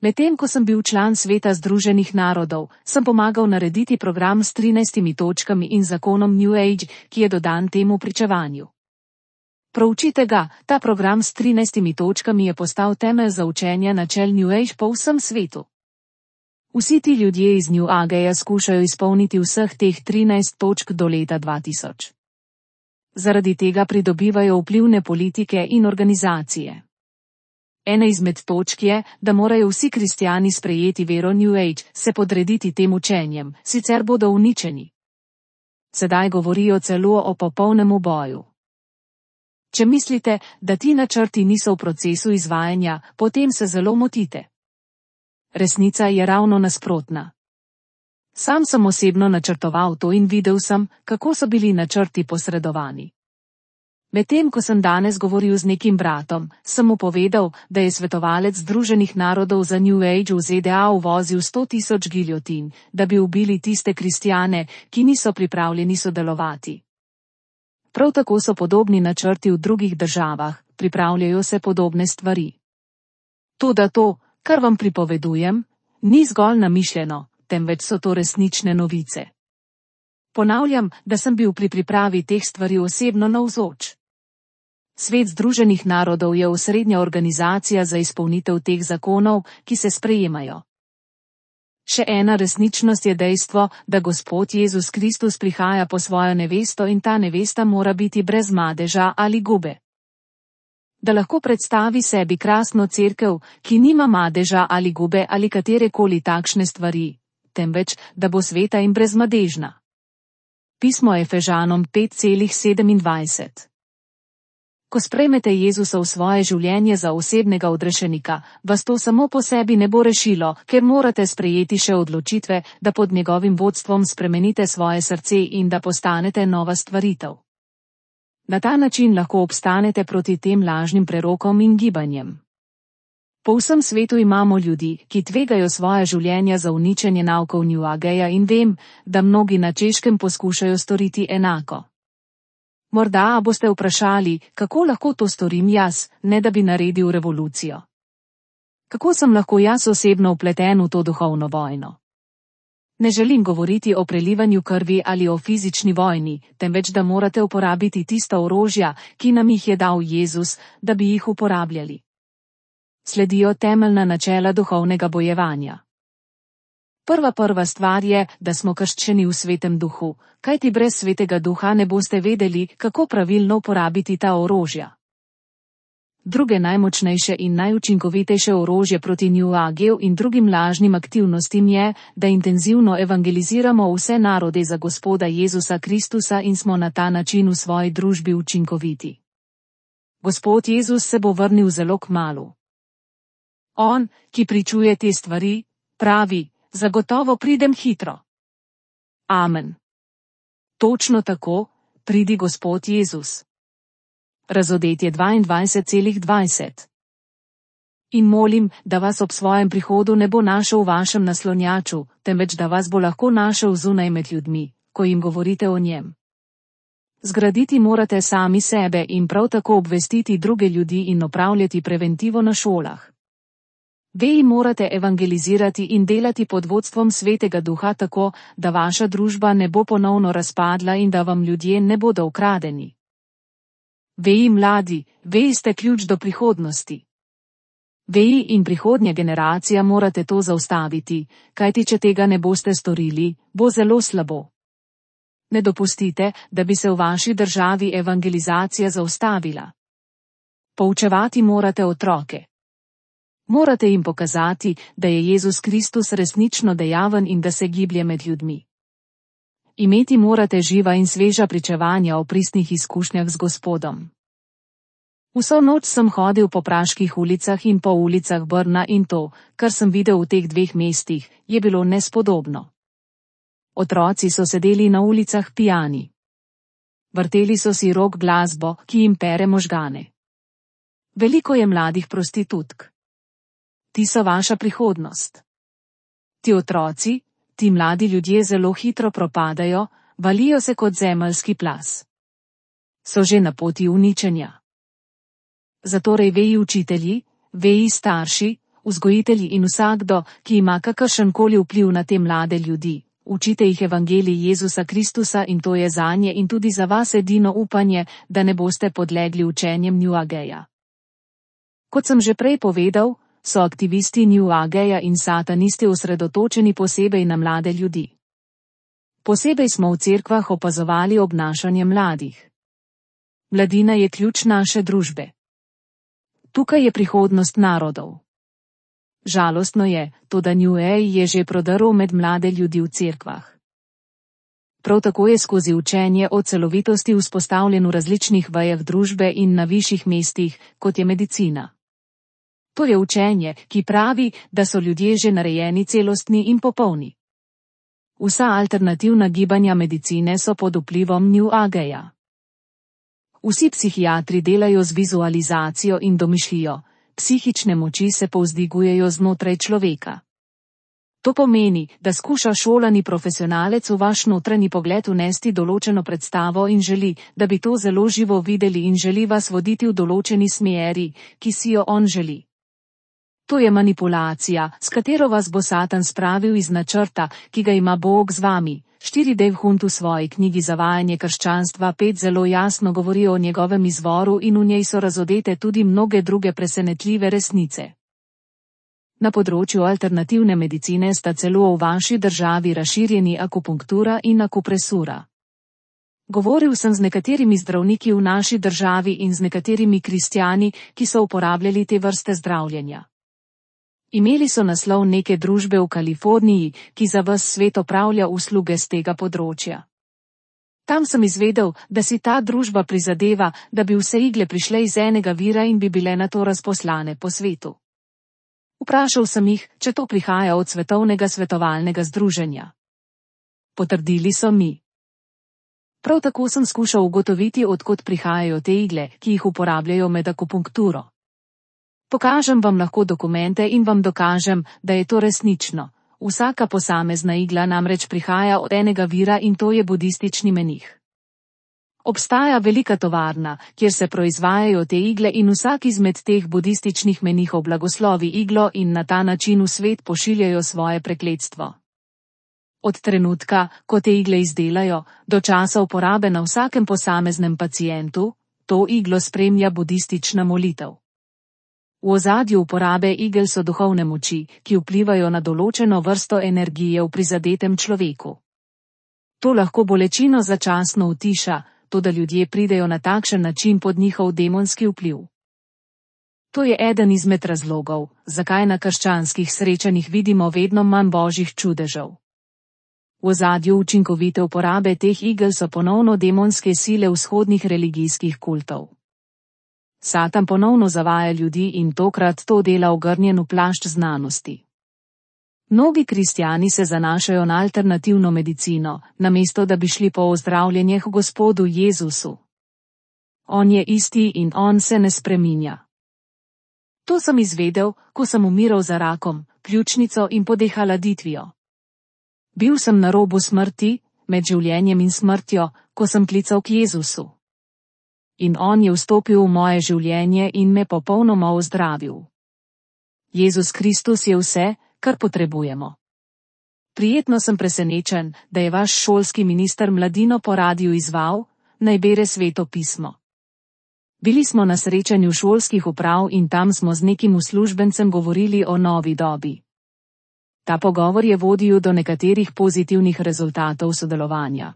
Medtem ko sem bil član Sveta Združenih narodov, sem pomagal narediti program s trinajstimi točkami in zakonom New Age, ki je dodan temu pričevanju. Proučite ga, ta program s trinajstimi točkami je postal temelj za učenje načel New Age po vsem svetu. Vsi ti ljudje iz New Ageja skušajo izpolniti vseh teh trinajst točk do leta dva tisoč. Zaradi tega pridobivajo vplivne politike in organizacije. Ena izmed točk je, da morajo vsi kristjani sprejeti vero New Age, se podrediti tem učenjem, sicer bodo uničeni. Sedaj govorijo celo o popolnem boju. Če mislite, da ti načrti niso v procesu izvajanja, potem se zelo motite. Resnica je ravno nasprotna. Sam sem osebno načrtoval to in videl sem, kako so bili načrti posredovani. Medtem ko sem danes govoril z nekim bratom, sem mu povedal, da je svetovalec Združenih narodov za New Age v Z D A uvozil sto tisoč giljotin, da bi ubili tiste kristjane, ki niso pripravljeni sodelovati. Prav tako so podobni načrti v drugih državah, pripravljajo se podobne stvari. Toda to, kar vam pripovedujem, ni zgolj namišljeno, temveč so to resnične novice. Ponavljam, da sem bil pri pripravi teh stvari osebno navzoč. Svet Združenih narodov je osrednja organizacija za izpolnitev teh zakonov, ki se sprejemajo. Še ena resničnost je dejstvo, da Gospod Jezus Kristus prihaja po svojo nevesto in ta nevesta mora biti brez madeža ali gube. Da lahko predstavi sebi krasno cerkev, ki nima madeža ali gube ali katerekoli takšne stvari, temveč, da bo sveta in brezmadežna. Pismo Efežanom pet sedemindvajset. Ko sprejmete Jezusa v svoje življenje za osebnega odrešenika, vas to samo po sebi ne bo rešilo, ker morate sprejeti še odločitve, da pod njegovim vodstvom spremenite svoje srce in da postanete nova stvaritev. Na ta način lahko obstanete proti tem lažnim prerokom in gibanjem. Po vsem svetu imamo ljudi, ki tvegajo svoje življenja za uničenje naukov New Ageja in vem, da mnogi na Češkem poskušajo storiti enako. Morda boste vprašali, kako lahko to storim jaz, ne da bi naredil revolucijo. Kako sem lahko jaz osebno vpleten v to duhovno vojno? Ne želim govoriti o prelivanju krvi ali o fizični vojni, temveč da morate uporabiti tista orožja, ki nam jih je dal Jezus, da bi jih uporabljali. Sledijo temeljna načela duhovnega bojevanja. Prva prva stvar je, da smo krščeni v svetem duhu, kajti brez svetega duha ne boste vedeli, kako pravilno uporabiti ta orožja. Druge najmočnejše in najučinkovitejše orožje proti New Ageju in drugim lažnim aktivnostim je, da intenzivno evangeliziramo vse narode za Gospoda Jezusa Kristusa in smo na ta način v svoji družbi učinkoviti. Gospod Jezus se bo vrnil zelo kmalu. On, ki pričuje te stvari, pravi: zagotovo pridem hitro. Amen. Točno tako, pridi Gospod Jezus. Razodetje dvaindvajset dvajset. In molim, da vas ob svojem prihodu ne bo našel v vašem naslonjaču, temveč da vas bo lahko našel zunaj med ljudmi, ko jim govorite o njem. Zgraditi morate sami sebe in prav tako obvestiti druge ljudi in opravljati preventivo na šolah. Veji morate evangelizirati in delati pod vodstvom Svetega Duha tako, da vaša družba ne bo ponovno razpadla in da vam ljudje ne bodo ukradeni. Veji mladi, veji ste ključ do prihodnosti. Veji in prihodnja generacija morate to zaustaviti, kajti če tega ne boste storili, bo zelo slabo. Ne dopustite, da bi se v vaši državi evangelizacija zaustavila. Poučevati morate otroke. Morate jim pokazati, da je Jezus Kristus resnično dejaven in da se giblje med ljudmi. Imeti morate živa in sveža pričevanja o pristnih izkušnjah z Gospodom. Vso noč sem hodil po praških ulicah in po ulicah Brna in to, kar sem videl v teh dveh mestih, je bilo nespodobno. Otroci so sedeli na ulicah pijani. Vrteli so si rock glasbo, ki jim pere možgane. Veliko je mladih prostitutk. Ti so vaša prihodnost. Ti otroci, ti mladi ljudje zelo hitro propadajo, valijo se kot zemeljski plaz. So že na poti uničenja. Zatorej veji učitelji, veji starši, vzgojitelji in vsakdo, ki ima kakršenkoli vpliv na te mlade ljudi, učite jih evangelij Jezusa Kristusa in to je zanje in tudi za vas edino upanje, da ne boste podlegli učenjem New Ageja. Kot sem že prej povedal, so aktivisti New Ageja in satanisti osredotočeni posebej na mlade ljudi. Posebej smo v cerkvah opazovali obnašanje mladih. Mladina je ključ naše družbe. Tukaj je prihodnost narodov. Žalostno je, to da New Age je že prodrl med mlade ljudi v cerkvah. Prav tako je skozi učenje o celovitosti vzpostavljen v različnih vejah družbe in na višjih mestih, kot je medicina. To je učenje, ki pravi, da so ljudje že narejeni celostni in popolni. Vsa alternativna gibanja medicine so pod vplivom New Ageja. Vsi psihiatri delajo z vizualizacijo in domišljijo, psihične moči se povzdigujejo znotraj človeka. To pomeni, da skuša šolani profesionalec v vaš notranji pogled vnesti določeno predstavo in želi, da bi to zelo živo videli in želi vas voditi v določeni smeri, ki si jo on želi. To je manipulacija, s katero vas bo Satan spravil iz načrta, ki ga ima Bog z vami, štiri Dave Hunt v svoji knjigi Zavajanje krščanstva pet zelo jasno govori o njegovem izvoru in v njej so razodete tudi mnoge druge presenetljive resnice. Na področju alternativne medicine sta celo v vaši državi razširjeni akupunktura in akupresura. Govoril sem z nekaterimi zdravniki v naši državi in z nekaterimi kristjani, ki so uporabljali te vrste zdravljenja. Imeli so naslov neke družbe v Kaliforniji, ki za ves svet opravlja usluge z tega področja. Tam sem izvedel, da si ta družba prizadeva, da bi vse igle prišle iz enega vira in bi bile nato razposlane po svetu. Vprašal sem jih, če to prihaja od svetovnega svetovalnega združenja. Potrdili so mi. Prav tako sem skušal ugotoviti, odkot prihajajo te igle, ki jih uporabljajo med akupunkturo. Pokažem vam lahko dokumente in vam dokažem, da je to resnično. Vsaka posamezna igla namreč prihaja od enega vira in to je budistični menih. Obstaja velika tovarna, kjer se proizvajajo te igle in vsak izmed teh budističnih menihov blagoslovi iglo in na ta način v svet pošiljajo svoje prekletstvo. Od trenutka, ko te igle izdelajo, do časa uporabe na vsakem posameznem pacientu, to iglo spremlja budistična molitev. V ozadju uporabe igel so duhovne moči, ki vplivajo na določeno vrsto energije v prizadetem človeku. To lahko bolečino začasno utiša, toda ljudje pridejo na takšen način pod njihov demonski vpliv. To je eden izmed razlogov, zakaj na krščanskih srečanjih vidimo vedno manj božjih čudežev. V ozadju učinkovite uporabe teh igel so ponovno demonske sile vzhodnih religijskih kultov. Satan ponovno zavaja ljudi in tokrat to dela ogrnjen v plašč znanosti. Mnogi kristjani se zanašajo na alternativno medicino, namesto da bi šli po ozdravljenje k Gospodu Jezusu. On je isti in on se ne spreminja. To sem izvedel, ko sem umiral za rakom, pljučnico in podehaladitvijo. Bil sem na robu smrti, med življenjem in smrtjo, ko sem klical k Jezusu. In on je vstopil v moje življenje in me popolnoma ozdravil. Jezus Kristus je vse, kar potrebujemo. Prijetno sem presenečen, da je vaš šolski minister mladino po radiu izval, naj bere Sveto pismo. Bili smo na srečanju šolskih uprav in tam smo z nekim uslužbencem govorili o novi dobi. Ta pogovor je vodil do nekaterih pozitivnih rezultatov sodelovanja.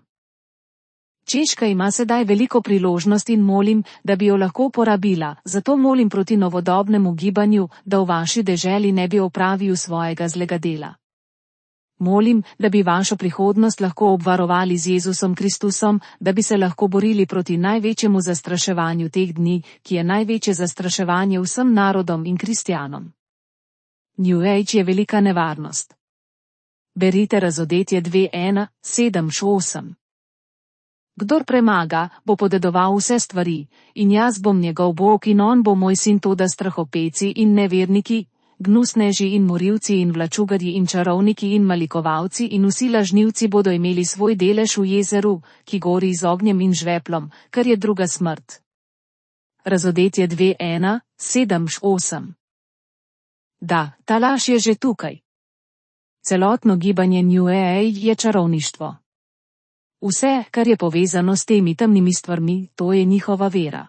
Češka ima sedaj veliko priložnost in molim, da bi jo lahko uporabila, zato molim proti novodobnemu gibanju, da v vaši deželi ne bi opravil svojega zlega dela. Molim, da bi vašo prihodnost lahko obvarovali z Jezusom Kristusom, da bi se lahko borili proti največjemu zastraševanju teh dni, ki je največje zastraševanje vsem narodom in kristjanom. New Age je velika nevarnost. Berite Razodetje dve ena sedem osem. Kdor premaga, bo podedoval vse stvari, in jaz bom njegov Bog in on bo moj sin, toda strahopeci in neverniki, gnusneži in morilci in vlačugarji in čarovniki in malikovalci in vsi lažnivci bodo imeli svoj delež v jezeru, ki gori z ognjem in žveplom, kar je druga smrt. Razodetje dve ena sedem osem. Da, ta laž je že tukaj. Celotno gibanje New Age je čarovništvo. Vse, kar je povezano s temi temnimi stvarmi, to je njihova vera.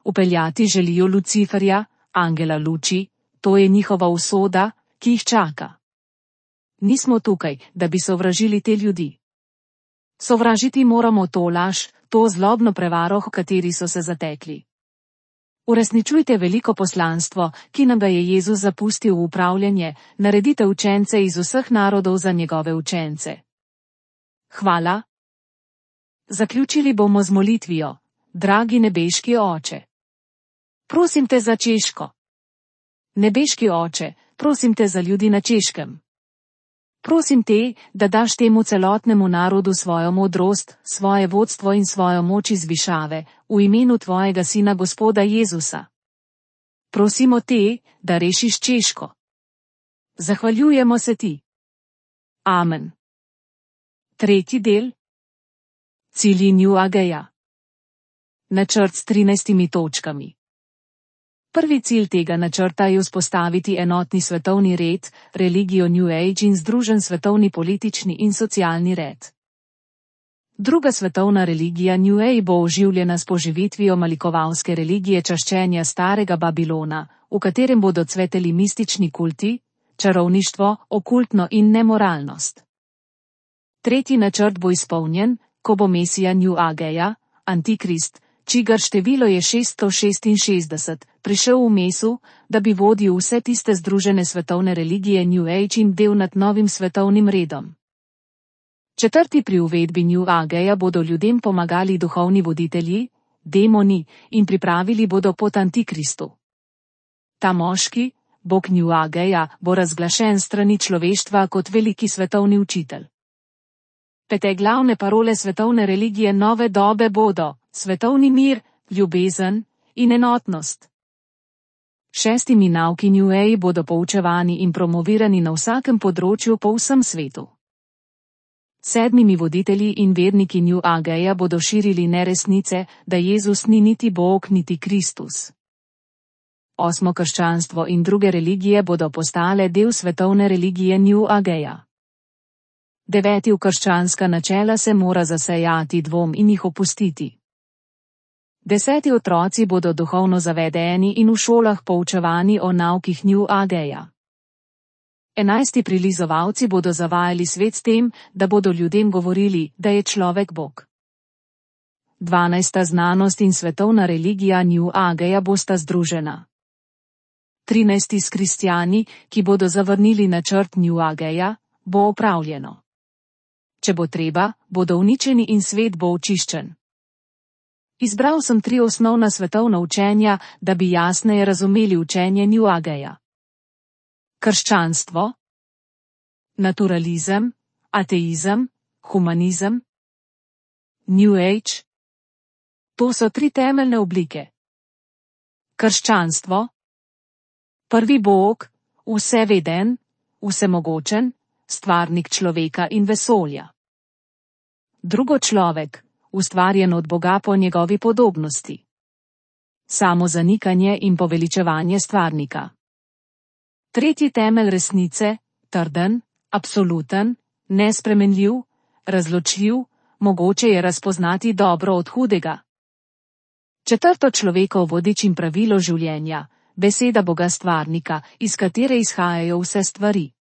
Upeljati želijo Luciferja, angela luči, to je njihova usoda, ki jih čaka. Nismo tukaj, da bi sovražili te ljudi. Sovražiti moramo to laž, to zlobno prevaro, v kateri so se zatekli. Uresničujte veliko poslanstvo, ki nam ga je Jezus zapustil v upravljanje, naredite učence iz vseh narodov za njegove učence. Hvala. Zaključili bomo z molitvijo, dragi nebeški Oče. Prosim te za Češko. Nebeški Oče, prosim te za ljudi na Češkem. Prosim te, da daš temu celotnemu narodu svojo modrost, svoje vodstvo in svojo moč iz višave, v imenu tvojega sina Gospoda Jezusa. Prosimo te, da rešiš Češko. Zahvaljujemo se ti. Amen. Tretji del. Cilji New Ageja. Načrt s trinajstimi točkami. Prvi cilj tega načrta je vzpostaviti enotni svetovni red, religijo New Age in združen svetovni politični in socialni red. Druga svetovna religija New Age bo oživljena s poživitvijo malikovalske religije čaščenja starega Babilona, v katerem bodo cveteli mistični kulti, čarovništvo, okultno in nemoralnost. Tretji načrt bo izpolnjen, ko bo Mesija New Ageja, Antikrist, čigar število je šeststo šestinšestdeset, prišel v mesu, da bi vodil vse tiste združene svetovne religije New Age in del nad novim svetovnim redom. Četrti pri uvedbi New Ageja bodo ljudem pomagali duhovni voditelji, demoni, in pripravili bodo pot Antikristu. Ta moški, bog New Ageja, bo razglašen strani človeštva kot veliki svetovni učitelj. Pete glavne parole svetovne religije nove dobe bodo svetovni mir, ljubezen in enotnost. Šestimi nauki New Age bodo poučevani in promovirani na vsakem področju po vsem svetu. Sedmimi voditelji in verniki New Ageja bodo širili neresnice, da Jezus ni niti Bog niti Kristus. Osmo krščanstvo in druge religije bodo postale del svetovne religije New Ageja. Deveti v krščanska načela se mora zasejati dvom in jih opustiti. Deseti otroci bodo duhovno zavedeni in v šolah poučevani o naukih New Ageja. Enajsti prilizovalci bodo zavajali svet s tem, da bodo ljudem govorili, da je človek Bog. Dvanajsta znanost in svetovna religija New Ageja bosta združena. Trinajsti s kristjani, ki bodo zavrnili načrt New Ageja, bo opravljeno. Če bo treba, bodo uničeni in svet bo očiščen. Izbral sem tri osnovna svetovna učenja, da bi jasneje razumeli učenje New Ageja. Krščanstvo, naturalizem, ateizem, humanizem, New Age. To so tri temeljne oblike. Krščanstvo. Prvi Bog, vseveden, vsemogočen, stvarnik človeka in vesolja. Drugo človek, ustvarjen od Boga po njegovi podobnosti. Samo zanikanje in poveličevanje stvarnika. Tretji temelj resnice, trden, absoluten, nespremenljiv, razločljiv, mogoče je razpoznati dobro od hudega. Četrto človekov vodič in pravilo življenja, beseda Boga stvarnika, iz katere izhajajo vse stvari.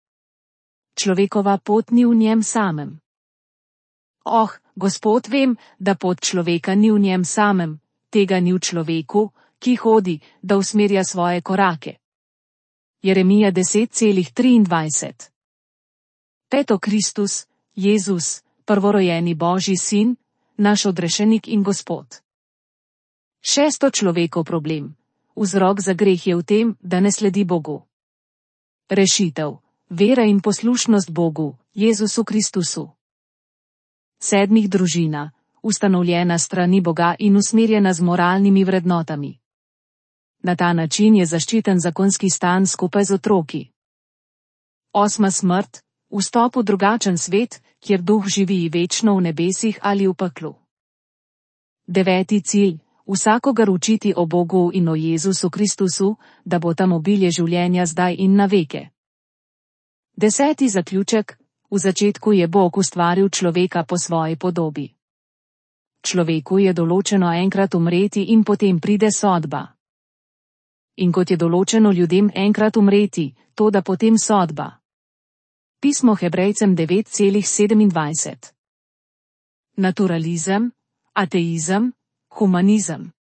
Človekova pot ni v njem samem. Oh, Gospod, vem, da pot človeka ni v njem samem, tega ni v človeku, ki hodi, da usmerja svoje korake. Jeremija deset triindvajset. Peto Kristus, Jezus, prvorojeni Božji sin, naš odrešenik in Gospod. Šesto človekov problem. Vzrok za greh je v tem, da ne sledi Bogu. Rešitev. Vera in poslušnost Bogu, Jezusu Kristusu. Sedmih družina, ustanovljena strani Boga in usmerjena z moralnimi vrednotami. Na ta način je zaščiten zakonski stan skupaj z otroki. Osma smrt, vstop v drugačen svet, kjer duh živi večno v nebesih ali v peklu. Deveti cilj, vsakogar učiti o Bogu in o Jezusu Kristusu, da bo tam obilje življenja zdaj in na veke. Deseti zaključek, v začetku je Bog ustvaril človeka po svoji podobi. Človeku je določeno enkrat umreti in potem pride sodba. In kot je določeno ljudem enkrat umreti, to da potem sodba. Pismo Hebrejcem devet sedemindvajset. Naturalizem, ateizem, humanizem.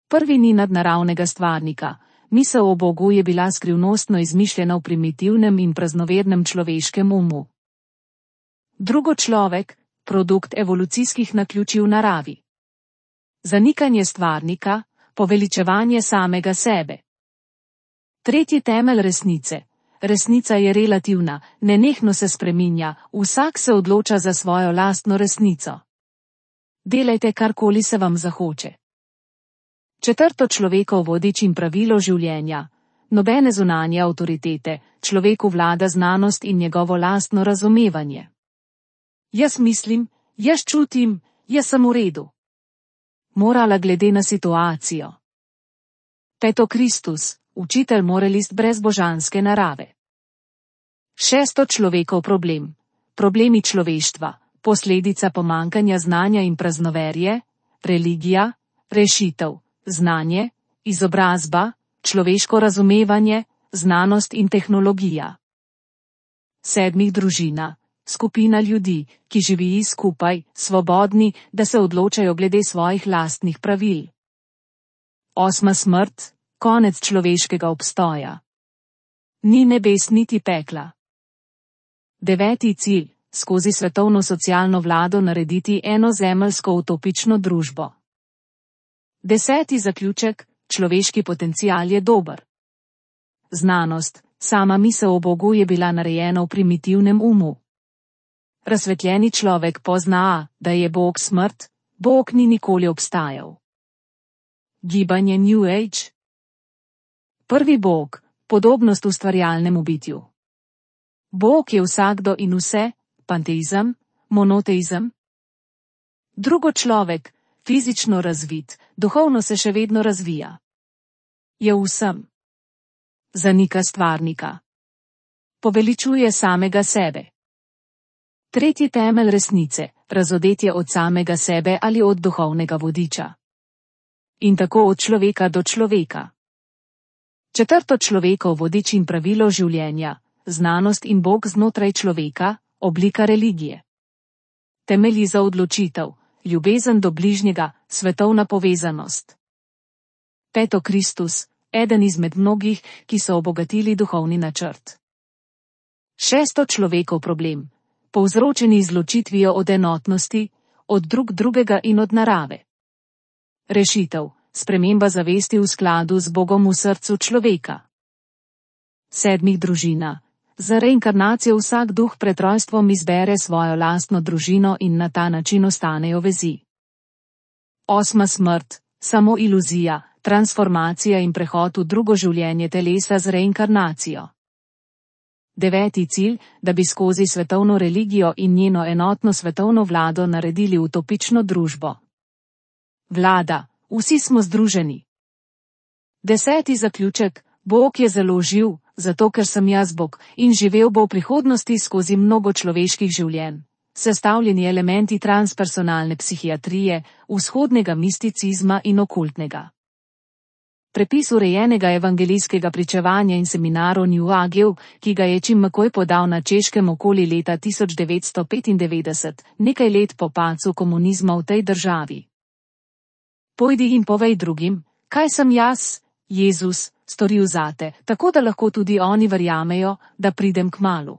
Prvi ni nadnaravnega stvarnika. Misel o Bogu je bila skrivnostno izmišljena v primitivnem in praznovernem človeškem umu. Drugo človek, produkt evolucijskih naključij v naravi. Zanikanje stvarnika, poveličevanje samega sebe. Tretji temelj resnice. Resnica je relativna, nenehno se spreminja, vsak se odloča za svojo lastno resnico. Delajte karkoli se vam zahoče. Četrto človekov vodič in pravilo življenja. Nobene zunanje avtoritete, človeku vlada znanost in njegovo lastno razumevanje. Jaz mislim, jaz čutim, jaz sem v redu. Morala glede na situacijo. Peto Kristus, učitelj moralist brez božanske narave. Šesto človekov problem. Problemi človeštva, posledica pomankanja znanja in praznoverje, religija, rešitev, znanje, izobrazba, človeško razumevanje, znanost in tehnologija. Sedmih družina, skupina ljudi, ki živijo skupaj, svobodni, da se odločajo glede svojih lastnih pravil. Osma smrt, konec človeškega obstoja. Ni nebes niti pekla. Deveti cilj, skozi svetovno socialno vlado narediti eno zemeljsko utopično družbo. Deseti zaključek, človeški potencial je dober. Znanost, sama misel o Bogu je bila narejena v primitivnem umu. Razsvetljeni človek pozna, da je Bog smrt, Bog ni nikoli obstajal. Gibanje New Age. Prvi Bog, podobnost ustvarjalnemu bitju. Bog je vsakdo in vse, panteizem, monoteizem. Drugo človek, fizično razvit, duhovno se še vedno razvija. Je vsem. Zanika stvarnika. Poveličuje samega sebe. Tretji temelj resnice, razodetje od samega sebe ali od duhovnega vodiča. In tako od človeka do človeka. Četrto človekov vodič in pravilo življenja, znanost in Bog znotraj človeka, oblika religije. Temelji za odločitev, ljubezen do bližnjega, svetovna povezanost. Peto Kristus, eden izmed mnogih, ki so obogatili duhovni načrt. Šesto človekov problem, povzročeni izločitvijo od enotnosti, od drug drugega in od narave. Rešitev, sprememba zavesti v skladu z Bogom v srcu človeka. Sedmih družina, za reinkarnacijo vsak duh pred rojstvom izbere svojo lastno družino in na ta način ostanejo vezi. Osma smrt, samo iluzija, transformacija in prehod v drugo življenje telesa z reinkarnacijo. Deveti cilj, da bi skozi svetovno religijo in njeno enotno svetovno vlado naredili utopično družbo. Vlada, vsi smo združeni. Deseti zaključek, Bog je zelo živ, zato ker sem jaz Bog, in živel bo v prihodnosti skozi mnogo človeških življenj. Sestavljeni elementi transpersonalne psihiatrije, vzhodnega misticizma in okultnega. Prepis urejenega evangelijskega pričevanja in seminarov New Ageu, ki ga je Jim McCoy podal na Češkem okoli leta tisoč devetsto petindevetdeset, nekaj let po padcu komunizma v tej državi. Pojdi in povej drugim, kaj sem jaz, Jezus, storil zate, tako da lahko tudi oni verjamejo, da pridem kmalu.